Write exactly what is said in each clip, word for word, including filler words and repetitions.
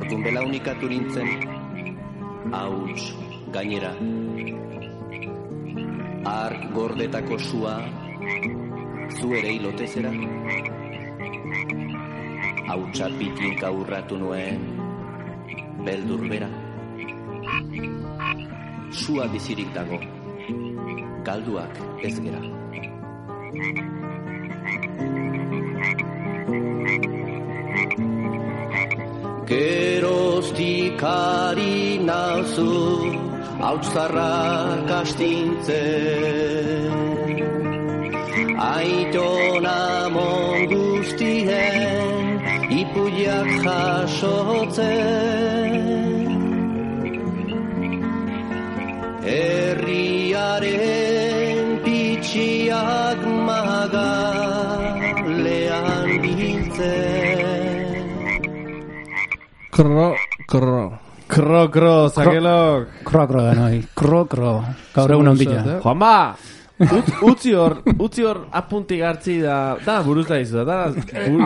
ordun belaunikatu nintzen, hauts gainera. Ark gordetako sua, zu ere hilotezera. Hautsa pitinka urratu nuen, beldur bera. Sua bizirik dago, galduak ez gera. Geroztik ari nauzu, hautzarrak astintzen. Aitona mon guztien, ipuiak jasotzen. Herriaren pitxiak magalean biltzen. Kro, kro. Kro, kro, zakelok. Kro, kro da noi. Kro, kro. Gaur egun ondila. Juanba! Utzi hor, utzi hor apuntik hartzi da, da buruz da izu, da,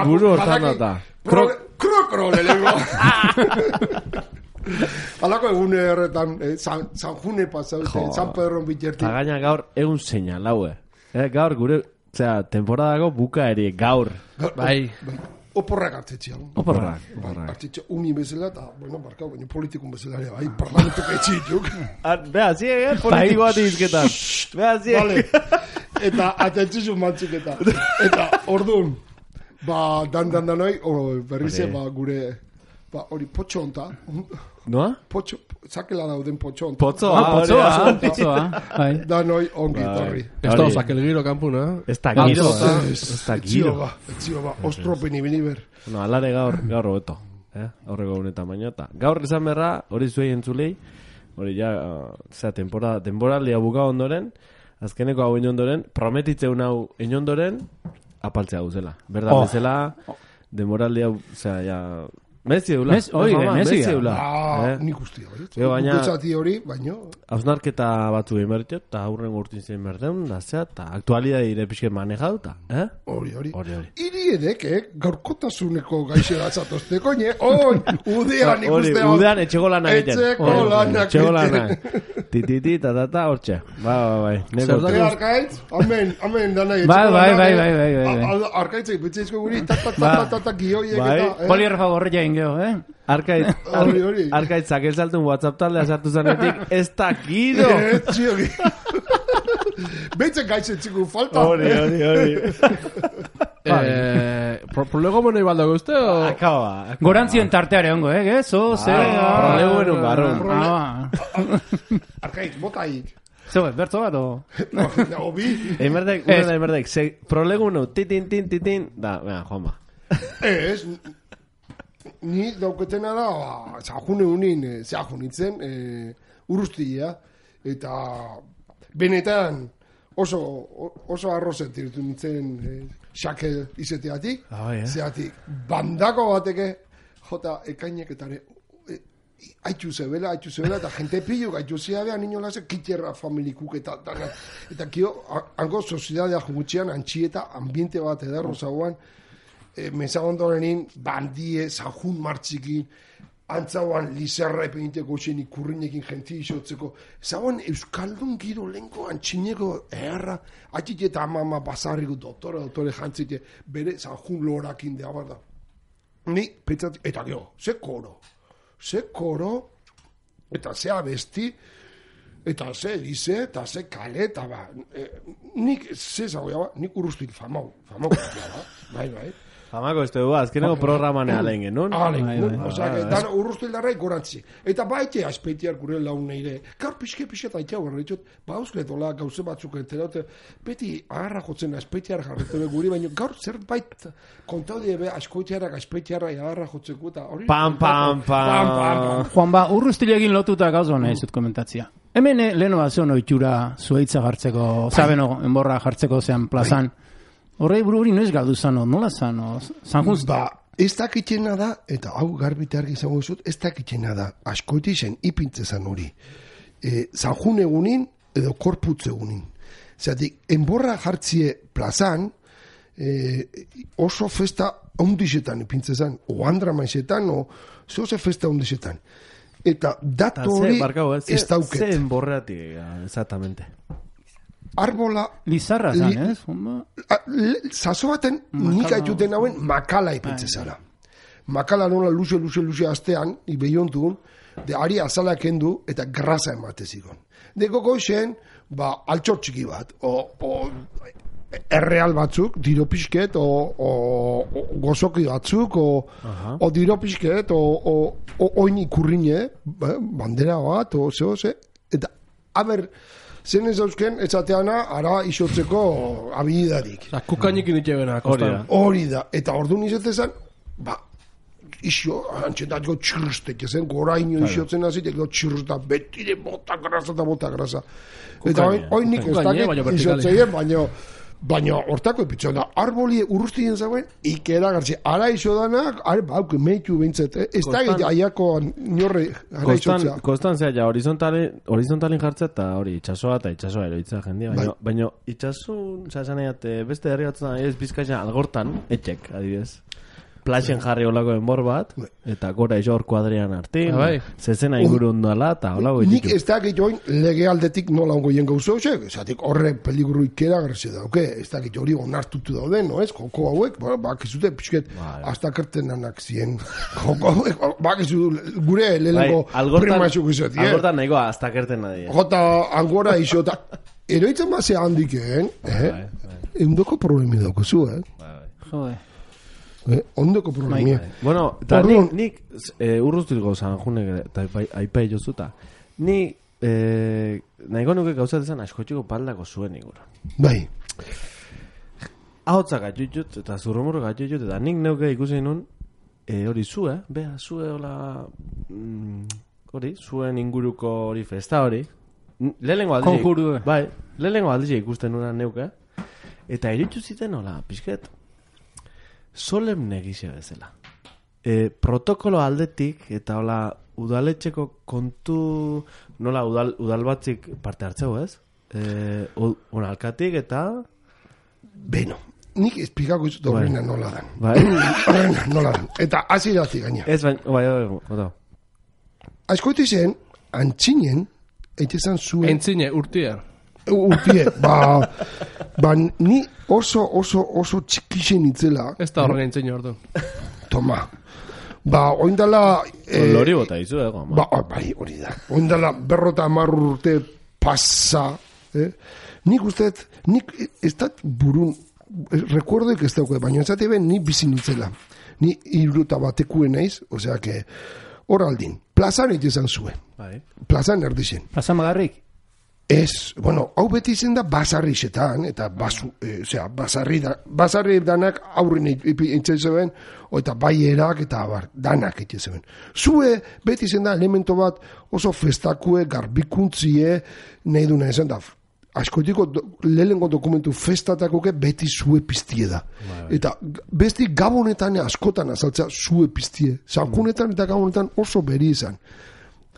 buru hortan da. Kro, kro, kro, lehenko. Alako egune horretan, San June pasaute, San Pedro biterti. Eta gaina gaur egun zeina, laue. Gaur gure, zera, temporadako buka eri, gaur. Bai. Oporrak hartzetxean. Oporrak. Oporrak. Hartzetxe umi bezala eta, bueno, barkau, baina politikun bezala ere, bai, parlamentuk etxituk. Beha, ziek, eh, politiko bat izketan. Beha, ziek. Vale. Eta, atentzizun mantzuk eta. Eta, orduan, ba, dan, dan, danoi, berrize, ba, gure, ba, hori, potxo onta. Noa? Potxo, zakela dauden potxo onta. Potzoa, potzoa, potzoa. Danoi, ongi, torri. Ez da, zakel giro kampuna. Ez da giro, ez da giro. Etzio ba, ostropen ibiniber. No, alare gaur, gaur hobeto. Horrego honetan baino eta. Gaur izan berra, hori zuei entzulei, hori ja, zera, temporada, temporaldia buka ondoren, azkeneko hau inondoren, prometitzen hau inondoren, apaltzea guzela. Berda, bezala, demoraldia, zera, ja... Mezi eula. Oi, mezi eula. Ah, nik ustia, bai. Guzati hori, baino. Hausnarketa batzu egin berritu, eta aurren urtin zein berdeun, da zea, eta aktualidad ire pixke manejau, eta, eh? Hori, hori. Iri edek, eh? Gaurkotasuneko gaixe gatzatozte, koine, oi, udean ikustea. Udean etxego lanak egiten. Etxeko lanak Etxego lanak. Tititi, tatata, hortxe. Ba, ba, bai. Zertak arkaitz? Amen, amen, dana etxeko lanak. Bai, bai, bai, bai, bai. Arkaitzek, betxeizko guri, tatatatata, gioiek eta, Poli erfagorria ingeo, eh? Arkaitz, arkaitz, zakel saltun WhatsApp taldea sartu zanetik, ez da gido! Ez, txio, Beitzen gaitzen txiku falta. Hori, hori, hori. Prolego monei baldago uste, o? Akaba. Gorantzien tarteare ongo, eh? Gezo, ze... Prolego en un barron. Arkaitz, botaik. Zeu, bertzo bat, o? Obi. Emerdek, urena, emerdek, prolego unu, titin, titin, titin, da, venga, Juanba. Ez, ni dauketena da, zahune unin, zahunitzen, urustia, eta benetan oso, oso arrozet irtu nintzen xakel izeteatik, zeatik, bandako bateke, jota ekaineketare, haitxu zebela, haitxu zebela, eta jente pillo gaitu zeabea, niño lase, kitxerra familikuk eta dana. Eta kio, hango soziedadea jugutxean, antxieta, ambiente bat edarro zauan, E, mezagondorenin bandie, zahun martzikin, antzauan lizarra epengiteko xenik kurrinekin jenti isotzeko. Zauan Euskaldun giro lenko antxineko erra, atxik eta amama basarriko doktore, doktore jantzite, bere zahun lorakin dea bat da. Ni, petzatik, eta gero, ze koro, ze koro, eta ze abesti, eta ze dize, eta ze kale, eta ba, e, nik, ze zagoia ba, nik urrustik famau, famau, ba, bai, bai. Famako ez dugu, azkeneko programanea lehen genuen. Alen genuen, oza, dan urruztu hildarrai gorantzi. Eta baite aspeitiar gure laun neire, gaur pixke pixke eta itea horre ditut, ba eusketola gauze batzuk enteraute, beti agarra jotzen aspeitiar jarretu guri, baina gaur zerbait kontaudie be askoitiarak aspeitiarra agarra jotzeko eta hori... Pam, pam, pam. Juan ba, urruztilegin lotuta gauzo nahi zut komentatzia. Hemen leheno bat zeon oitura zueitza jartzeko, zabeno enborra jartzeko zean plazan. Horrei buru hori noiz galdu zano, nola zano? Zanjuz? Ba, ez dakitxena da, eta hau garbite argi izango zut, ez dakitxena da, askoiti zen ipintze zan hori. E, Zanjun egunin, edo korputze egunin. Zeratik, enborra jartzie plazan, e, oso festa ondisetan ipintzezan, o andra maizetan, o zehose festa ondisetan. Eta datu hori ez dauket. Ze enborreatik, exactamente. Arbola... Lizarra zan, ez? Zazo baten nik aituten hauen makala ipintzezara. Makala nola luze, luze, luze astean, ibeiontun, de ari azala kendu eta grasa ematezikon. De gogoixen, ba, altxor txiki bat, o, o erreal batzuk, diro pixket, o, o, o gozoki batzuk, o, uh-huh. o diro pixket, o, o, o oin ikurrine, bandera bat, o zeo, ze, eta, haber, zen ez dauzken, etzateana, ara isotzeko habilidadik. Kukainik initxegena, hori da, eta ordu nizetezan, ba, isio, antxetatiko txirrustek, ezen, goraino isiotzen hasi, eko txirrustak, betire bota grasa eta bota grasa. Eta hori nik ez dakit isotzeien, baina, baina hortako epitxo da, arboli urrustien zauen, ikera gartzi, ara iso danak, ara bauk, meitu bintzet, ez da egite aiako norre, ara isotzea. Konstantzia, ja, horizontalin jartzea eta hori, itxasoa eta itxasoa eroitza jendia, baina, baina itxasun, zazen egat, beste herri batzen ez bizkaizan algortan, etxek, adibidez. Plaxen jarri olako enbor bat, eta gora iso hor kuadrian artin, zezena inguru ondala, eta olako nik ez dakit join lege aldetik nola ongo jen gauzo, esatik horre peligru ikera garzi dauke, ez dakit hori onartutu dauden, no ez, joko hauek, bakizute pixket, hasta kertenanak zien, joko hauek, bakizute gure lehenko primaxuk izot, algortan nahikoa hasta kertena di. Jota, angora iso, eta eroitzen bazea handikeen, eundoko problemi daukazu, eh? Jode. Eh, ondoko problemia. Bueno, eta nik, nik e, urruztiko zan junek eta aipai jozuta. Ni e, nahiko nuke gauzatezan askotxiko paldako zuen igura. Bai. Ahotzak atxutxut eta zurromurro atxutxut eta nik neuke ikusi nun e, hori zue, beha, zue hola mm, hori, zuen inguruko hori festa hori. Lehenengo aldiz. Konjuru. Bai, lehenengo aldiz ikusten nuna neuke. Eta eritxu ziten hola, pixket. Solemne gizia bezala. E, protokolo aldetik, eta hola, udaletxeko kontu, nola udal, udal batzik parte hartzeu, ez? E, Unalkatik eta... Beno, nik esplikako izut horrena nola dan. Bai. Horrena nola dan. Eta hasi dazi gaina. Ez baina, bai, bai, bai. Aizkoiti zen, antzinen, eitezan zuen... Entzine, urtia. Urtie, ba, ba, ni oso, oso, oso txikixen itzela. Ez da horren entzine ordu. Toma. Ba, oindala... Eh, lori bota izu, eh, goma. Ba, bai, hori da. Oindala berrota amarru urte pasa. Eh? Nik usteet, nik ez dat burun, recuerdoik ez dauke, baina ez dati ben, ni bizin itzela. Ni iruta batekuen naiz, osea que, hor aldin, plazan egizan zuen. Bai. Plazan erdixen. Plazan magarrik? Ez, bueno, hau beti izen da basarri xetan, eta basu, e, osea, basarri, da, basarri danak aurrin intzen zeben, eta baierak eta abar, danak egiten zeben. Zue, beti izen da elemento bat oso festakue, garbikuntzie, nahi duna izan da, askotiko do, lehenengo dokumentu festatakoke beti zue piztie da. Bai. Eta besti gabonetan askotan azaltza zue piztie. Zankunetan eta gabonetan oso beri izan.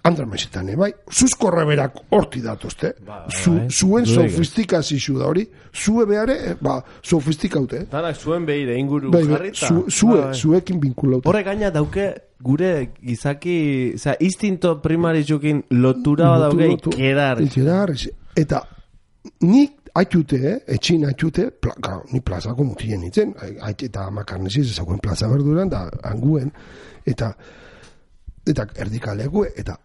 Andra mesetan, bai? Zuzko reberak horti datozte. Ba, Zu, bai. Zuen sofistikazio da hori. Zue behare, ba, sofistikaute. Danak zuen behire inguru bai, jarrita. Zu, zue, bai. Zuekin binkulaute. Horre gaina dauke gure gizaki, oza, instinto primaritzukin lotura lotu, dauke lotu, ikerar. Ikerar, eta nik haitute, eh? Etxin haitute, pla, ga, ni plazako mutien nintzen, hait eta makarnesiz ezakuen plaza berduran, da anguen, eta eta erdikaleku, eta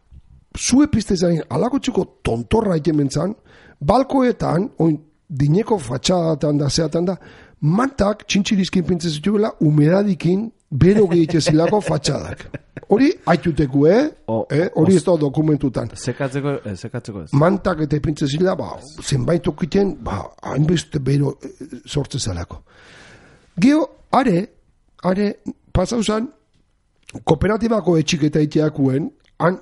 zue pistezaren alakotxuko tontorra ikementzan, balkoetan, oin dineko fatxadatan da, zeatan da, mantak txintxirizkin pintzen zituela, humedadikin bero gehitezilako fatxadak. Hori haituteku, eh? Hori eh? ez da dokumentutan. Sekatzeko, eh, sekatzeko ez. Mantak eta pintzezila, ba, zenbait okiten, ba, hainbeste bero eh, sortzezalako. Geo, are, are, pasauzan, kooperatibako etxik eta iteakuen, han,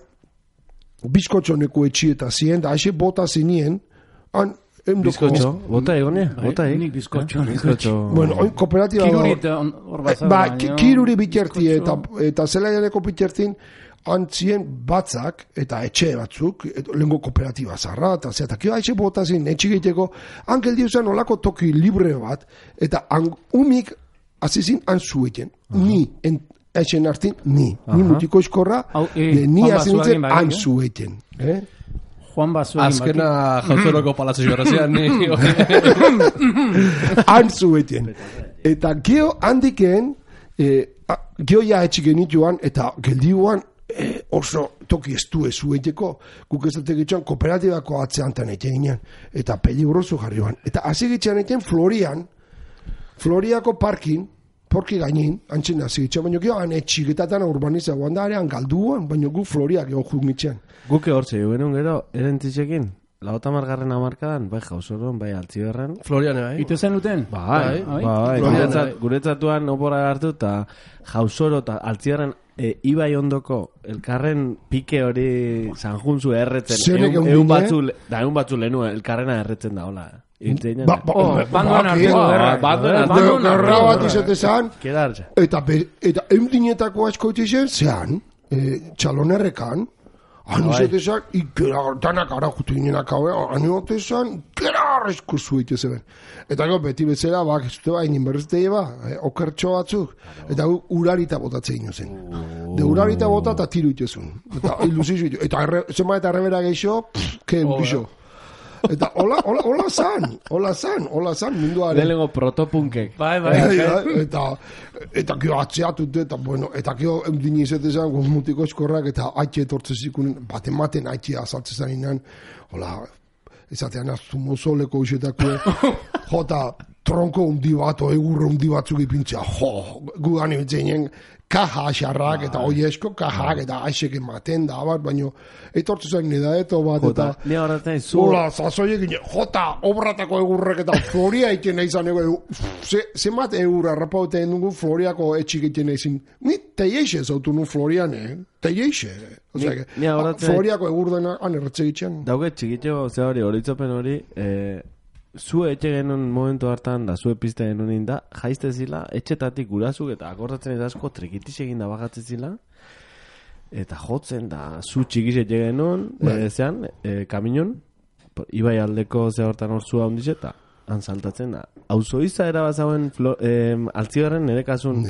bizkotxoneko etxi eta zien, da haixe bota zinien, han, bizkotxo, bota egonea, bota egin. Nik bizkotxo. Bueno, oin kooperatiba... Kiruri eta hor bazara. Ba, kiruri biterti eta, eta zelaianeko bitertin, antzien batzak, eta etxe batzuk, et, lengo kooperatiba zarra, eta zeatak, etxe bota zen, etxe egiteko, hankel diuzan olako toki libre bat, eta an, umik azizin antzueten, ni, en, etxen hartin, ni, ni mutiko eskorra, e, ni azintzen antzueten, eh? Juan Basu egin Azkena jautzoroko palazio garrazian, ni... Antzueten. Eta geho handiken, eh, geho ja etxik genituan, eta geldiuan eh, oso toki estu ezu eiteko, guk ez dut egitxan kooperatibako atzeantan egin, eta peligroso jarrioan. Eta hasi egitxan egin Florian, Floriako parkin, porki gainin, antzen hasi egitxan, baina geho han etxiketatan urbanizagoan da, arean galduan, baina gu Floriak geho jumitxan. Guke hortze, jugenun gero, erentzisekin, lauta margarren amarkadan, bai jauzoron, bai altziberren. Florian, bai. Ite zen duten? Bai, bai, bai. Guretzat, guretzatuan opora hartu, eta jauzoro eta altziberren e, ibai ondoko, elkarren pike hori sanjunzu erretzen. Zenek Eun, egun eun dine? batzu, da egun batzu lehenu, elkarrena erretzen da, hola. Ba, ba, Oh, ba, bandoan ba, arteko ba, gerra. bandoan Eh, arteko bandoan Gerra arteko bat gerra. izatezan, Keda hartza. eta, be, eta eundinetako asko itizen, zean, e, txalonerrekan, han izatezan, ikera, danak ara jutu ginenak hau, han izatezan, ikera arrezko zueite zeben. Eta gero, beti bezala, bak, ez dute ba, inin berrezte ba, eh, okertxo batzuk, eta gu, urarita botatzen ino zen. De urarita bota eta tiru itezun. Eta ilusizu itu. Eta erre, zenba eta errebera geixo, pff, ke eukixo. Eta hola, hola, hola zan, hola zan, hola zan, munduaren. Lehenengo protopunkek. Bai, bai. Bai, bai, eta eta kio atzeatut eta bueno, eta kio eundini izatezan mutiko eskorrak eta haitxe etortzezikunen, baten maten haitxe azaltzezan inan, hola, ezatean aztu mozoleko isetako, jota tronko undi bat, o egurre undi batzuk ipintzea, jo, gu gani bitzenen, kaja asarrak eta oiesko kajak eta aixek ematen da bat, baino etortzezan nida eto bat eta... Jota, ni horretzen zu... Hola, zazoiek gine, jota, obratako egurrek eta Floria iten izan ego, ze, ze mat egur arrapaute dugu Floriako etxik iten izin, ni teieixe zautu nu Florian, eh? Teieixe. Osea, Ni- que, ni horretzen- Floriako egur dena, han erretxe gitxan. Dauke txikitxo, ze hori, horitzopen hori, eh, zu etxe genuen momentu hartan, da zu epizte genuen da, jaizte zila, etxetatik gurazuk eta akordatzen ez asko trikitix egin da bagatzen zila, eta jotzen da, zu txikiz etxe genuen, e, zean, e, kaminon, ibai aldeko ze hortan hor zua hondiz eta, han saltatzen da. Auzo izaera bazauen e, altzigarren nire kasun,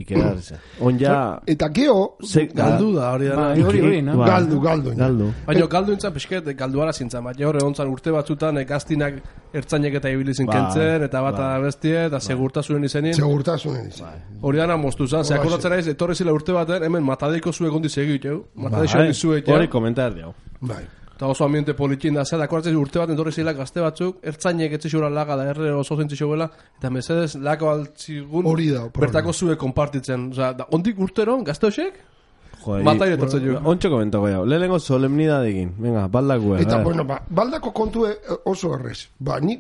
ikera hartzen. On ja... Eta geho, ze- Galdu da, hori da. Bai, hori, hori, no? Ba, galdu, galdu. Galdu. Baina galdu intzan pixket, galduara zintzan, baina horre ontzan urte batzutan eh, gaztinak ertzainek eta ibilizin Bai, kentzen, eta bat bai. bestie, eta segurtasunen izenin. Segurtasunen izan. Hori dana moztu zan, ze akordatzen naiz, etorri zila urte baten, hemen matadeiko zuek ondi segit, jau. Matadeiko Bai, ondi zuek, hori komentar diau. Bai. eta oso ambiente politin da, zera, akordatzen urte baten etorri zila gazte batzuk, ertzainek etxixura laga da, erre oso zentzixoela, eta mesedez lako altzigun, Hori da, problema. bertako zuek konpartitzen. Osa, da, ondik urteron, gazte hoxek, Joder, Mataire etortzen jo. Ontxo komentako jau. Lehenengo solemnidadekin. Venga, baldakue. Eta, a ver. bueno, ba, baldako kontu e- oso errez. Ba, ni...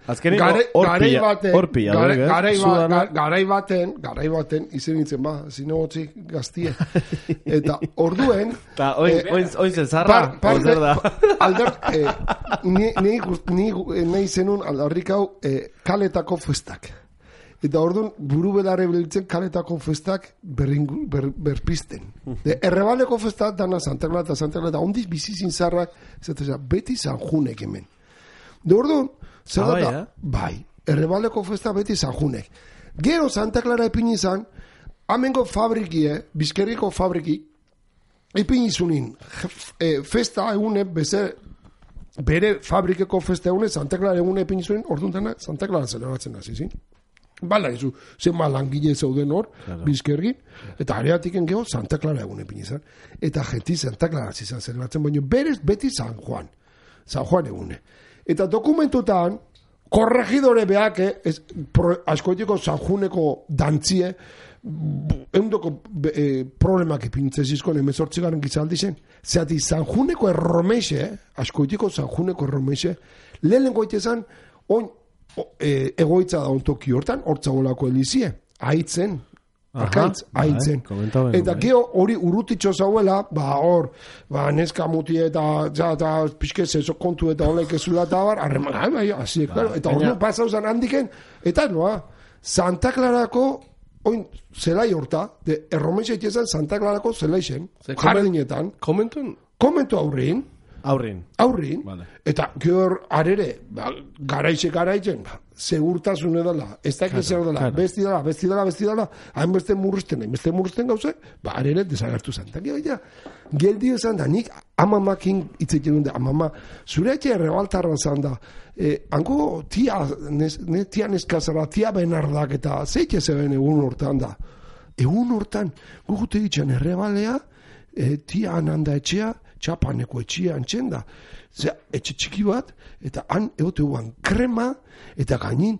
Azkeneko Gare- hor garai pila, baten, hor pila, gare- duek, eh? garai ba- Zudana. ga- garai baten, garai baten, izen nintzen, ba, zinegotzi gaztie. Eta orduen... Ta, oin, eh, oin, oin zezarra, par- parte- ozer da. pa- alder, eh, ni, ni, gust- ni, eh, nahi zenun aldarrik hau eh, kaletako festak. Eta orduan, buru belarre biltzen kaletako festak berringu, ber, berpisten. De, errebaleko festak dana Santegla eta Santegla eta ondiz bizizin zarrak, zateza, beti Sanjunek hemen. De orduan, zer Ah, bai, da, eh? bai, errebaleko festa beti Sanjunek. Gero Santa Clara epin izan, amengo fabrikie, bizkerriko fabriki, epin izunin, e, festa egune, beze, bere fabrikeko festa egune, Santa Clara egune epin izunin, orduan dena Santa Clara zelebratzen hasi, zin? Bala, izu, zenba langile zeuden hor, bizkergin, eta areatiken geho Santa Clara egune epin izan. Eta jenti Santa Clara zizan zelebratzen, baina berez beti San Juan. San Juan egune. Eta dokumentutan, korregidore beak, ez, pro, askoetiko San Juneko dantzie, eundoko e, problemak ipintzezizkoen emezortzigaren gizaldi zen. Zeati, San Juneko erromexe, askoetiko San Juneko erromexe, lehen goitezan, oin, o, e, egoitza da ontoki hortan, hortzagolako elizie, haitzen, Arkaitz, haitzen. komentau behar, Eta bai. gero hori urrutitxo zauela, ba hor, ba neska muti eta ja, eta pixke zezo kontu eta olek ezula eta bar, harreman, bai, bai, hasi, claro. Eta baina- hori pasau zan handiken, eta noa, Santa Clarako oin, zelai horta, de erromesa itezan Santa Clarako zelaixen, jardinetan, Komentun? komentu aurrin, Aurrin. aurrin, Vale. eta gehor arere, ba, garaixe garaitzen, ba, segurtasune dela, ez da zer dela, claro. besti dela, besti dela, besti dela, hainbeste murrizten, hainbeste murrizten gauze, ba, arere desagertu zen. Eta gero, ja, geldi esan da, nik amamakin itzekin da, amama, zure etxe errebaltarra zan da, eh, hango tia, nes, ne, tia neskazara, tia benardak, eta zeitxe zeben egun hortan da. Egun hortan, gugute ditzen errebalea, eh, tia ananda etxea, txapaneko etxia antzen da. Zea, etxe txiki bat, eta han egote guan krema, eta gainin,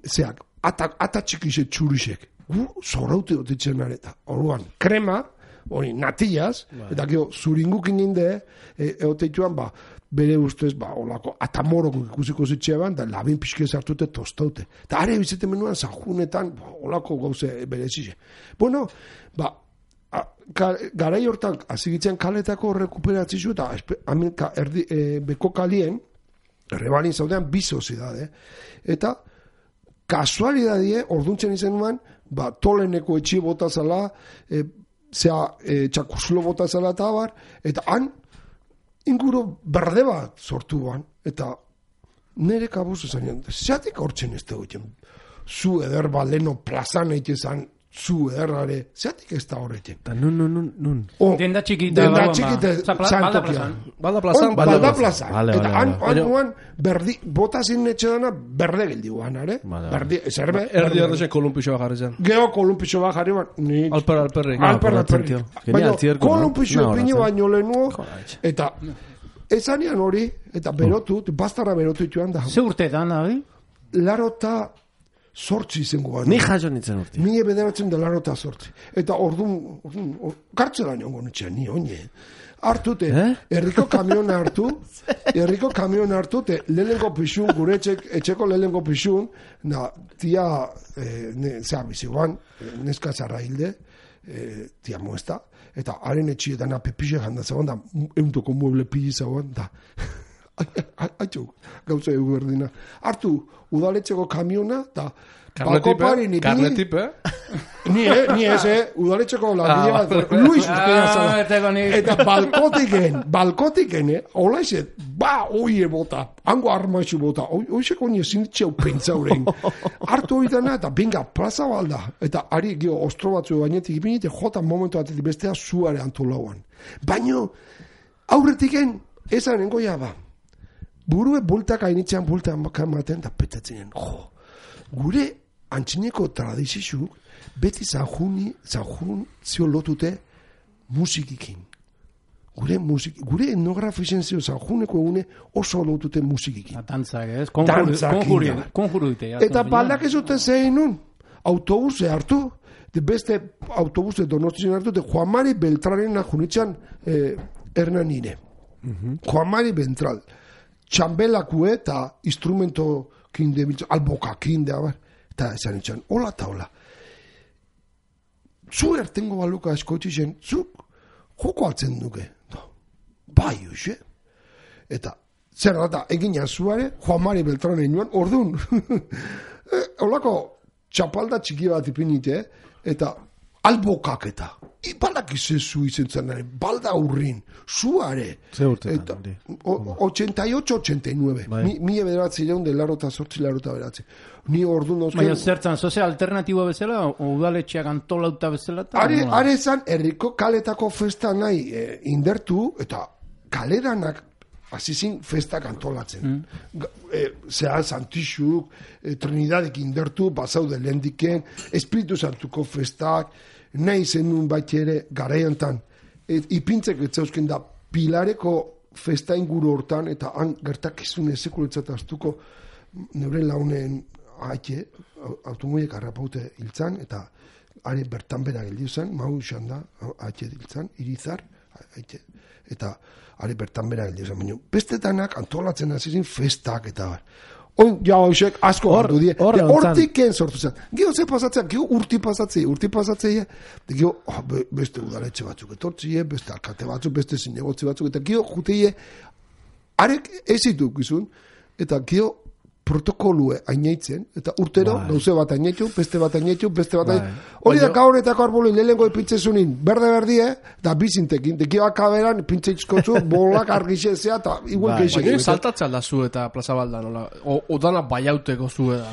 zeak, ata, ata txikise txurisek. Gu zoraute dotitzen areta. Orduan, krema, hori natillaz, eta gero zuringukin inde, e, egote joan, ba, bere ustez, ba, olako, atamorok ikusiko zitxean, da labin pixke zartute tostaute. Eta are bizete menuan, zajunetan, ba, olako gauze berezize. Bueno, ba, A, ka, garai hortan azigitzen kaletako rekuperatzi zu eta hemen ka, erdi, e, beko kalien errebalin zaudean bi soziedade eta kasualidadie orduntzen izen nuen ba, toleneko etxi bota zala e, zea e, txakuslo bota zala eta abar eta han inguru berde bat sortu ban eta nire kabuz esan zeatik hortzen ez dugu zu eder baleno plazan eitezan zu errare, zeatik ez da horretzen. Ta nun, nun, nun, nun. Oh, Denda txikita. Denda txikita, Balda plazan. Balda plazan, balda, balda plazan. Vale, eta vale, han, vale. han nuan, berdi, bota zin etxe dana, berde geldi guan, are? Vale, Berdi, zerbe? Erdi erdezen kolumpixo bat jarri zen. Geo kolumpixo bat jarri ban, ni... Alper, alperrik. Ah, Alper, por alperrik. tío. Genial, zierko, no? Kolumpixo No, ipini horatzen. baino lehenuo, Joder. eta ezanean hori, eta berotu, bastara berotu joan da. Ze urteetan, abi? Larota sortzi izango bat. Ni jaso nintzen urti. Mie bederatzen da larota sortzi. Eta ordun, ordun, or, kartzelan jongo nitxean, ni oine. Hartute, Eh? herriko kamiona hartu, herriko kamiona hartu, te lehenengo pixun, gure etxek, etxeko lehenengo pixun, na, tia, eh, ne, zea biziguan, neska zarra hilde, eh, tia muesta, eta haren etxietan apepixe janda zegoen, da, euntoko mueble pili zegoen, da, haitxuk, gauza egu berdina. Hartu, udaletxeko kamiona, eta balkopari ni Karnetip, eh? Ni, eh, ni ez, eh, udaletxeko langile Ah, bat, Luis Urtea Ah, zara. eteko ni. Eta balkotiken, balkotiken, eh, hola izet, ba, oie bota, hango armaixu bota, oizeko nire zinitxeu pentsauren. Hartu hori dana, eta binga, plaza balda, eta ari, gio, ostro batzu bainetik ipinite, jota momentu batetik bestea zuare antolauan. Baino, aurretiken, ezaren goia ba, burue bultak hainitzean bultak maten, da petatzen, jo, gure antxineko tradizizuk, beti zanjuni, zanjun zio lotute musikikin. Gure musik, gure etnografisen zio zanjuneko egune oso lotute musikikin. Dantzak, ez? Dantzak, Konjuru, inda. konjuru dite. Eta baldak ez dute zein nun, autobuse hartu, de beste autobuse donostien hartu, de Juan Mari Beltrarena junitzen eh, Hernanire. Juan Mari Beltral. Txambelakue eta instrumento kinde, alboka kinde, abar, eta esan itxan, hola eta hola. Zu ertengo baluka eskoitzi zen, zuk joko altzen duke. No. Bai, hoxe. Eta, zer da, egina zuare, Juan Mari Beltranen joan, orduan, eh, holako txapalda txiki bat ipinite, eta albokak eta, ibalak izezu izen zen, balda urrin, zuare. Ze urtetan, Eta, hori? o- ochenta y ocho, ochenta y nueve. Bai. Mi, mi bederatzi leun de larota sortzi larota beratzi. Ni orduan Baina dauzken... zertzan, zoze alternatibo bezala, o udaletxeak antolauta bezala? eta Are, nola? are zan, herriko kaletako festa nahi eh, indertu, eta kaleranak azizin festak antolatzen. Mm. E, Zea, Santixuk, e, Trinidadek indertu, bazaude lehendiken, Espiritu Santuko festak, nahi zenun bat ere garaiantan. E, ipintzek etzauzken da, Pilareko festa inguru hortan, eta han gertakizun ezekuretzat astuko, neure launen haike, automoiek harrapaute hiltzan, eta are bertan bera geldi zen, mau izan da, haike hiltzan, irizar, haike, eta are bertan bera geldi zen, baina bestetanak antolatzen hasi festak eta bar. Oin, ja, hoxek, asko Hor- hartu die. hor De egon zan. hortiken sortu zen. Gio ze pasatzea, gio urti pasatzea, urti pasatzea, de gio, oh, be, beste udaletxe batzuk etortzie, beste alkate batzuk, beste zinegotzi batzuk, eta gio juteie, arek ez ditu gizun, eta gio protokolue aineitzen, eta urtero, Bai. gauze bat aineitu, beste bat aineitu, beste bat Bai. aineitu. Hori da gaurretako arboli lehenengo epintzezunin, berde-berdie, da bizintekin, dekibak kaberan, pintzeitzkotzu, bolak argixezea, eta igual Bai. keixek. Baina saltatzea da zu eta plaza balda, nola? O, odana baiauteko zu da.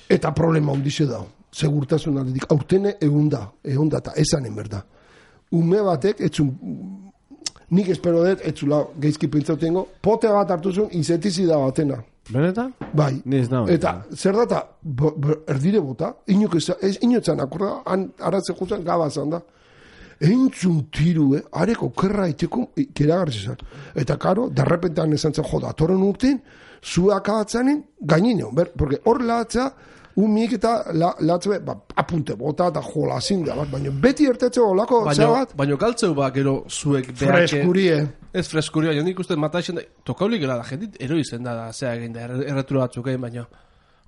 Eta problema ondize da, segurtasun aldetik, aurtene egun da, egun da, eta esanen berda. Ume batek, etzun, nik espero dut, etzula geizki pintzautengo, pote bat hartuzun, insetizida batena. Benetan? Bai, Ni ez nago. eta zer data, bo- bo- erdire bota, inok ez, ez inotzan, akorda, han aratzen juzan gabazan da. Entzun tiru, eh, areko kerra iteko, keragarri zan. Eta karo, derrepentan esan zen, joda, atoren urtein, zua akabatzanen, gainino, ber, porque hor lahatza, umik eta la, lahatze, ba, apunte bota eta jola zinda, bat, baina beti ertetze olako, Baina, zabat, baina galtzeu ba, gero zuek freskurie. Ez freskuria, baina nik uste mataixen da, tokaulik gela da, jendit eroizen da, da, zea egin da, erre- erretura batzuk egin, baina,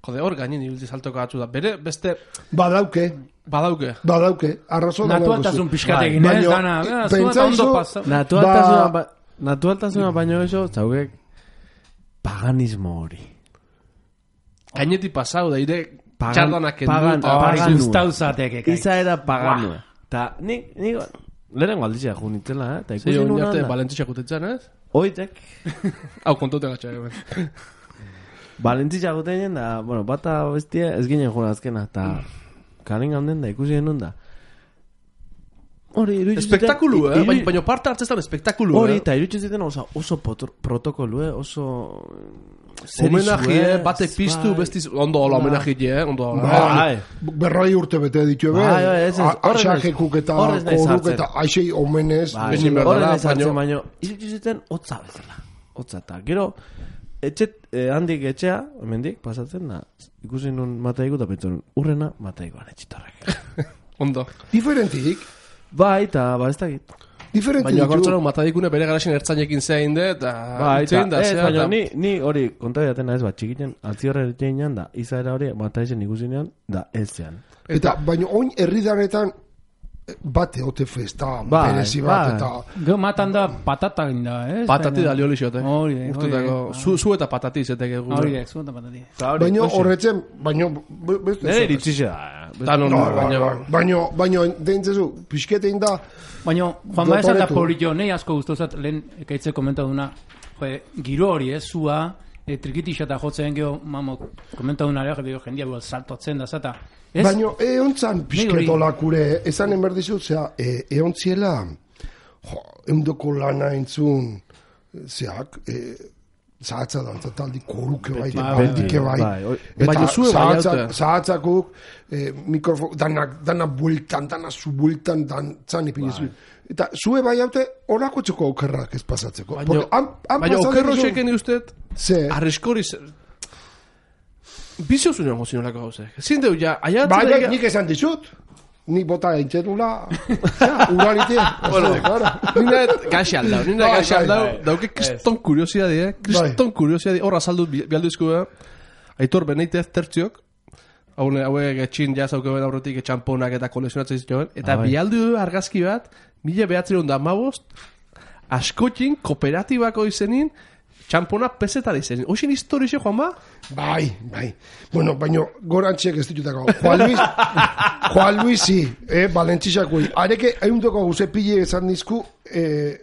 jode, hor gainin ibilti saltoka batzu da, bere, beste, Badauke, badauke. badauke, arrazo da Natualtasun pixkat Bai. egin, ez, Baino, dana, i- eh, zua eta pentsaizu- ondo pasa. Naturaltasuna, Ba- ba, naturaltasuna baino eso, zaugek paganismo hori. Gainetik pasau da, ire, Pagan- txardanak kendu, pagan- eta- Hori paganua. guztau zateke. kai. Izaera paganua. Ta nik, nik, lehenengo alditzea jo nintzela, eh? Ta Zei, ikusi hori nuen arte, anda. balentzitxak utetzen, ez? Oitek, Hau, kontaute gatxa, egin. balentzitza gutenen da, bueno, bata bestia ez ginen joan azkena, ta karen gaunden da, ikusi genuen da. Hori, iruditu ziten- Espektakulu, eh? iru- Baina, baina parte hartzezan espektakulu, Hori, eh? eta iruditu ziten oso, oso potro- protokolu, eh? Oso... Homenaji, eh? Batek Bai. piztu, bestiz, ondo, hola, homenaji, eh? Ondo, Bai. Berroi urte bete ditu ebe, Bai, bai, ez ez, horren ez- axajekuk eta horren ez naiz koruk hartzen. eta aixei omenez. Bai, Behin behar horren dela, ez hartzen, baino- baino, iruditu ziten hotza bezala. Hotza, eta gero, etxet, eh, handik etxea, hemendik, pasatzen da, ikusi nun mataiku, eta pentsu nun, urrena mataikoan etxitorrek. ondo. Diferentik, Bai, eta, ba, ez dakit. diferentik Baina ditu. akortzaren matadikune bere garaxen ertzainekin zein de, eta... Bai, eta, itzein da, ez, zea, baina eta- ni, ni hori, konta datena ez, bat, txikiten, atziorre etxean da, izaera hori, mataizen ikusinean, da, ez zean. Eta, baina oin herridaretan bate ote festa, Bai, berezi bat, bai. eta... Gero matan da patata egin da, ez? Patati Baina- da lioli xote. Hori, hori, Urtetako, hori. zu, zu eta patati izeteke gu. Hori, ez, zu eta patati. Baina horretzen, baina... be- beste Nere zer. iritsi da. Da, no, no, No, baina... baina, baina, baina, deintzezu, pixketein da, Baina, Juan Baez eta Dotoretu. Polito, nahi asko guztozat, lehen ekaitze komentaduna, jo, giro hori, ez, zua, e, trikitixa eta jotzen geho, mamo, komentaduna ere, jo, jendia buel saltotzen da, zata. Ez? baina eontzan Nik pixketolakure, esanen berdizut, zera, e, eontziela, jo, eundoko lana entzun, zeak, e, zahatza dantza taldi koruke bai, Bai, bandike bai, bai. bai, oi- Eta Baina zue bai zahatzak- haute. zahatzakuk, eh, mikrofon, danak, dana bueltan, dana zu bueltan, dantzan ipinizu. Eta zue bai haute, horako txoko okerrak ez pasatzeko. Baina, Porque han- han baina pasatu okerro dizun- xeken ustet, Ze, arriskori zer... Bizio zuen gozi nolako gauzek. Zin deu, ja, aiatzen... bai, bai, da- nik esan dizut. Nik bota entzerula, uralite. Bueno, nina gaxe aldau, nina Bai, gaxe bai, aldau, bai. dauke kriston kuriosidade, eh? Kriston kuriosidade, horra saldu bialduzko, eh? Aitor Benitez tertziok, haune, hauek etxin jazaukeuen aurretik etxamponak eta kolekzionatzen zituen, eta Ah, bai. bialdu argazki bat, mila behatzen da mabost, askotin kooperatibako izenin, txampona pesetara izenin. Hoxin historixe, Juan ba? Bai, bai. Bueno, baino, gorantziek ez ditutako. Juan Luis, Juan Luisi, eh, Balentzisakui. Areke, eundoko guze pile esan dizku, eh,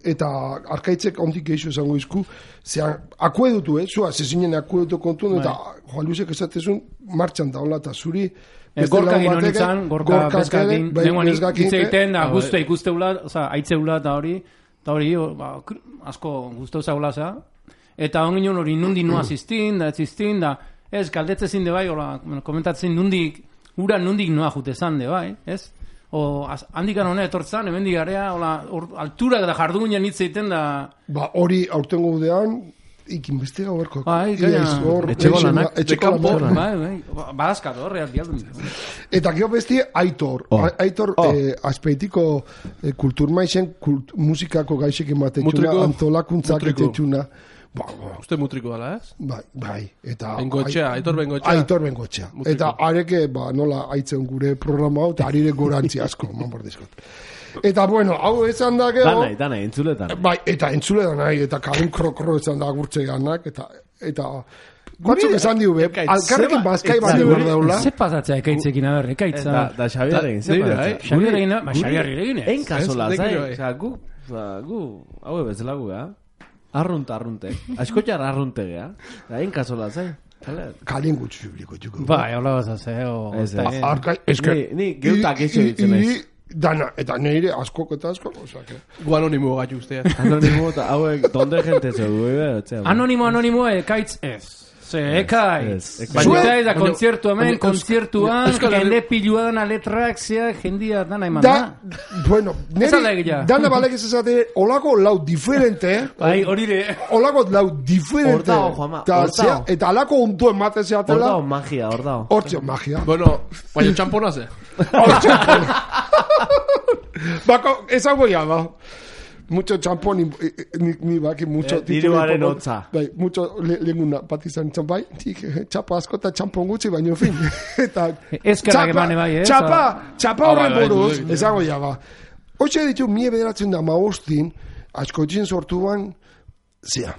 eta arkaitzek ondik geixo esango izku, zean, akuedutu, eh, zua, zezinen akuedutu kontun, eta Juan Luisek esatezun, martxan daula, eta zuri, E, beste gorka lagun gino batek, nintzen, gorka gorkak bezkakin, ere, bai, nengoan bezkakin, hitz egiten, da Ah, guztu bai. ikusteula, oza, aitzeula eta hori, eta hori, o, ba, kr- asko guztu zaula za, eta ongin hori nundi nua ziztin, da ziztin, da, ez, galdetze zinde bai, hola, bueno, komentatzen nundik, ura nundik noa jute zan de bai, ez? O, az, handikan hone etortzan, hemendik garea, hola, or, altura eta jardugunean hitz egiten da, ba, hori aurtengo udean, ikin beste gauerko. Bai, gaina, etxeko lanak, etxeko lanak. bai, bai, badazkat horre, bialdun. Eta gero besti Aitor. Oh. A- Aitor Oh. eh, azpeitiko eh, kulturmaizen kult, musikako gaixek ematetxuna, Mutriko. antolakuntzak Mutriko. etetxuna. Ba, ba, Uste mutriko dala, ez? bai, bai. Eta, Bengoetxea, Aitor Bengoetxea. Aitor Bengoetxea. Mutriko. Eta areke, ba, nola aitzen gure programa hau, eta arire gorantzi asko, manbordizkot. Eta, bueno, hau esan da gero... Danai, danai, entzuletan. Bai, eta entzule da nahi, eta karun krokro esan da gurtze ganak, eta, eta Batzuk esan diu, be, alkarrekin bazkai bat diu daula. Ze pasatzea ekaitzekin, a ber, ekaitza. Da, da Xabier egin, ze pasatzea. Xabier egin, ba, Xabier egin ez. Egin kasola, zai. Osa, gu, gu, hau bezala gu, ha? Arrunt, arrunte. Askotxar arrunte, ha? Egin kasola, zai. Kalien gutxu zubliko, txuko. Ba, hola bazaz, eh? Arkai, eske... Ni, geutak eixo ditzen ez. Dana, eta neire askok eta askok, osake. Gu anonimo gaitu ustea. Anonimo eta hauek, donde gente ze du, Anonimo, anonimo, ekaitz ez. Ze, ekaitz. Baina da kontzertu hemen, kontzertuan, jende pilua dana letrak, zea, jendia dana eman da. Bueno, nire, dana balek ez ezate, olako lau diferente, bai, horire. Olako lau diferente. Hortao, Juanma, hortao. Eta alako untu emate zeatela. Hortao, magia, hortao. Hortao, magia. Bueno, baina txampona ze. Hortao. Bako, esango ya, ba. Mucho champón, ni, ni, ni baki, mucho... Eh, diruaren hotza. Bai, mucho lehenguna patizan txampai, txapa asko eta txampon gutxi, baino fin. Eta... Ezkerrak emane bai, eh? Txapa, txapa horren buruz, esango ya, ba. Hoxe ditu, mie bederatzen da maostin, askoitzin sortuan, zea,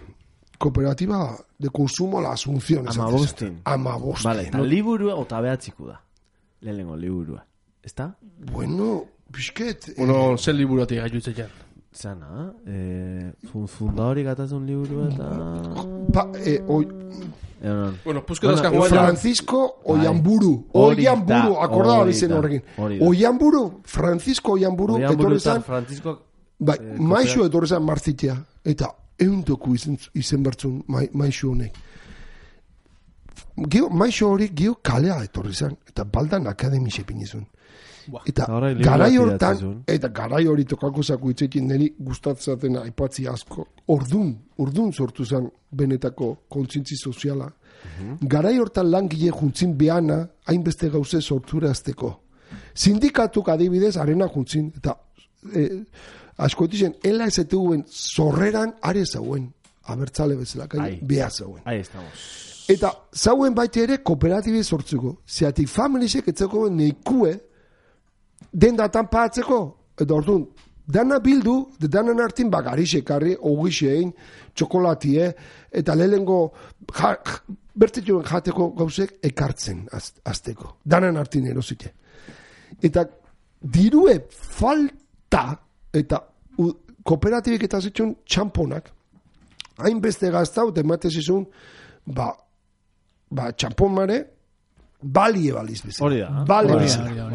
kooperativa de consumo la Asunción. Amabostin. Amabostin. Vale, eta liburua ota behatziku da. Lehenengo liburua. ¿Está? Bueno, bisket... Bueno, zen liburuatik gaitu itzean. Zana, eh, fundadori gatazun liburu eta... Pa, eh, oi... Bueno, puzko dazka juan... Francisco Oiamburu. Oiamburu, akordaba bizen horrekin. Oiamburu, Francisco Oiamburu, etorre zan... Francisco... Bai, maixo etorre zan martzitea. Eta euntoku izen, izen bertzun maixo honek. Gio, maixo hori gio kalea etorre zan. Eta baldan akademi sepinizun. Eta garai hortan, eta garai hori tokako zaku itzekin niri gustatzaten aipatzi asko, ordun, ordun sortu zen benetako kontzintzi soziala. Uh-huh. Garai hortan langile juntzin behana, hainbeste gauze sortura azteko. Sindikatuk adibidez, arena juntzin, eta eh, askoetizen, ela ez eteguen zorreran are zauen, abertzale bezala, beha zauen. Ahí estamos. Eta zauen baite ere kooperatibe sortzuko, zeatik familisek etzeko neikue, den datan paatzeko, eta orduan, dana bildu, de danan hartin bagarixe karri, ogixein, txokolatie, eta lehengo ja, bertituen jateko gauzek ekartzen az, azteko. Danan hartin erosite. Eta dirue falta, eta u, kooperatibik eta zituen txamponak, hainbeste gaztau, temate zizun, ba, ba txampon mare, balie baliz bezala. Hori da. Bale bezala.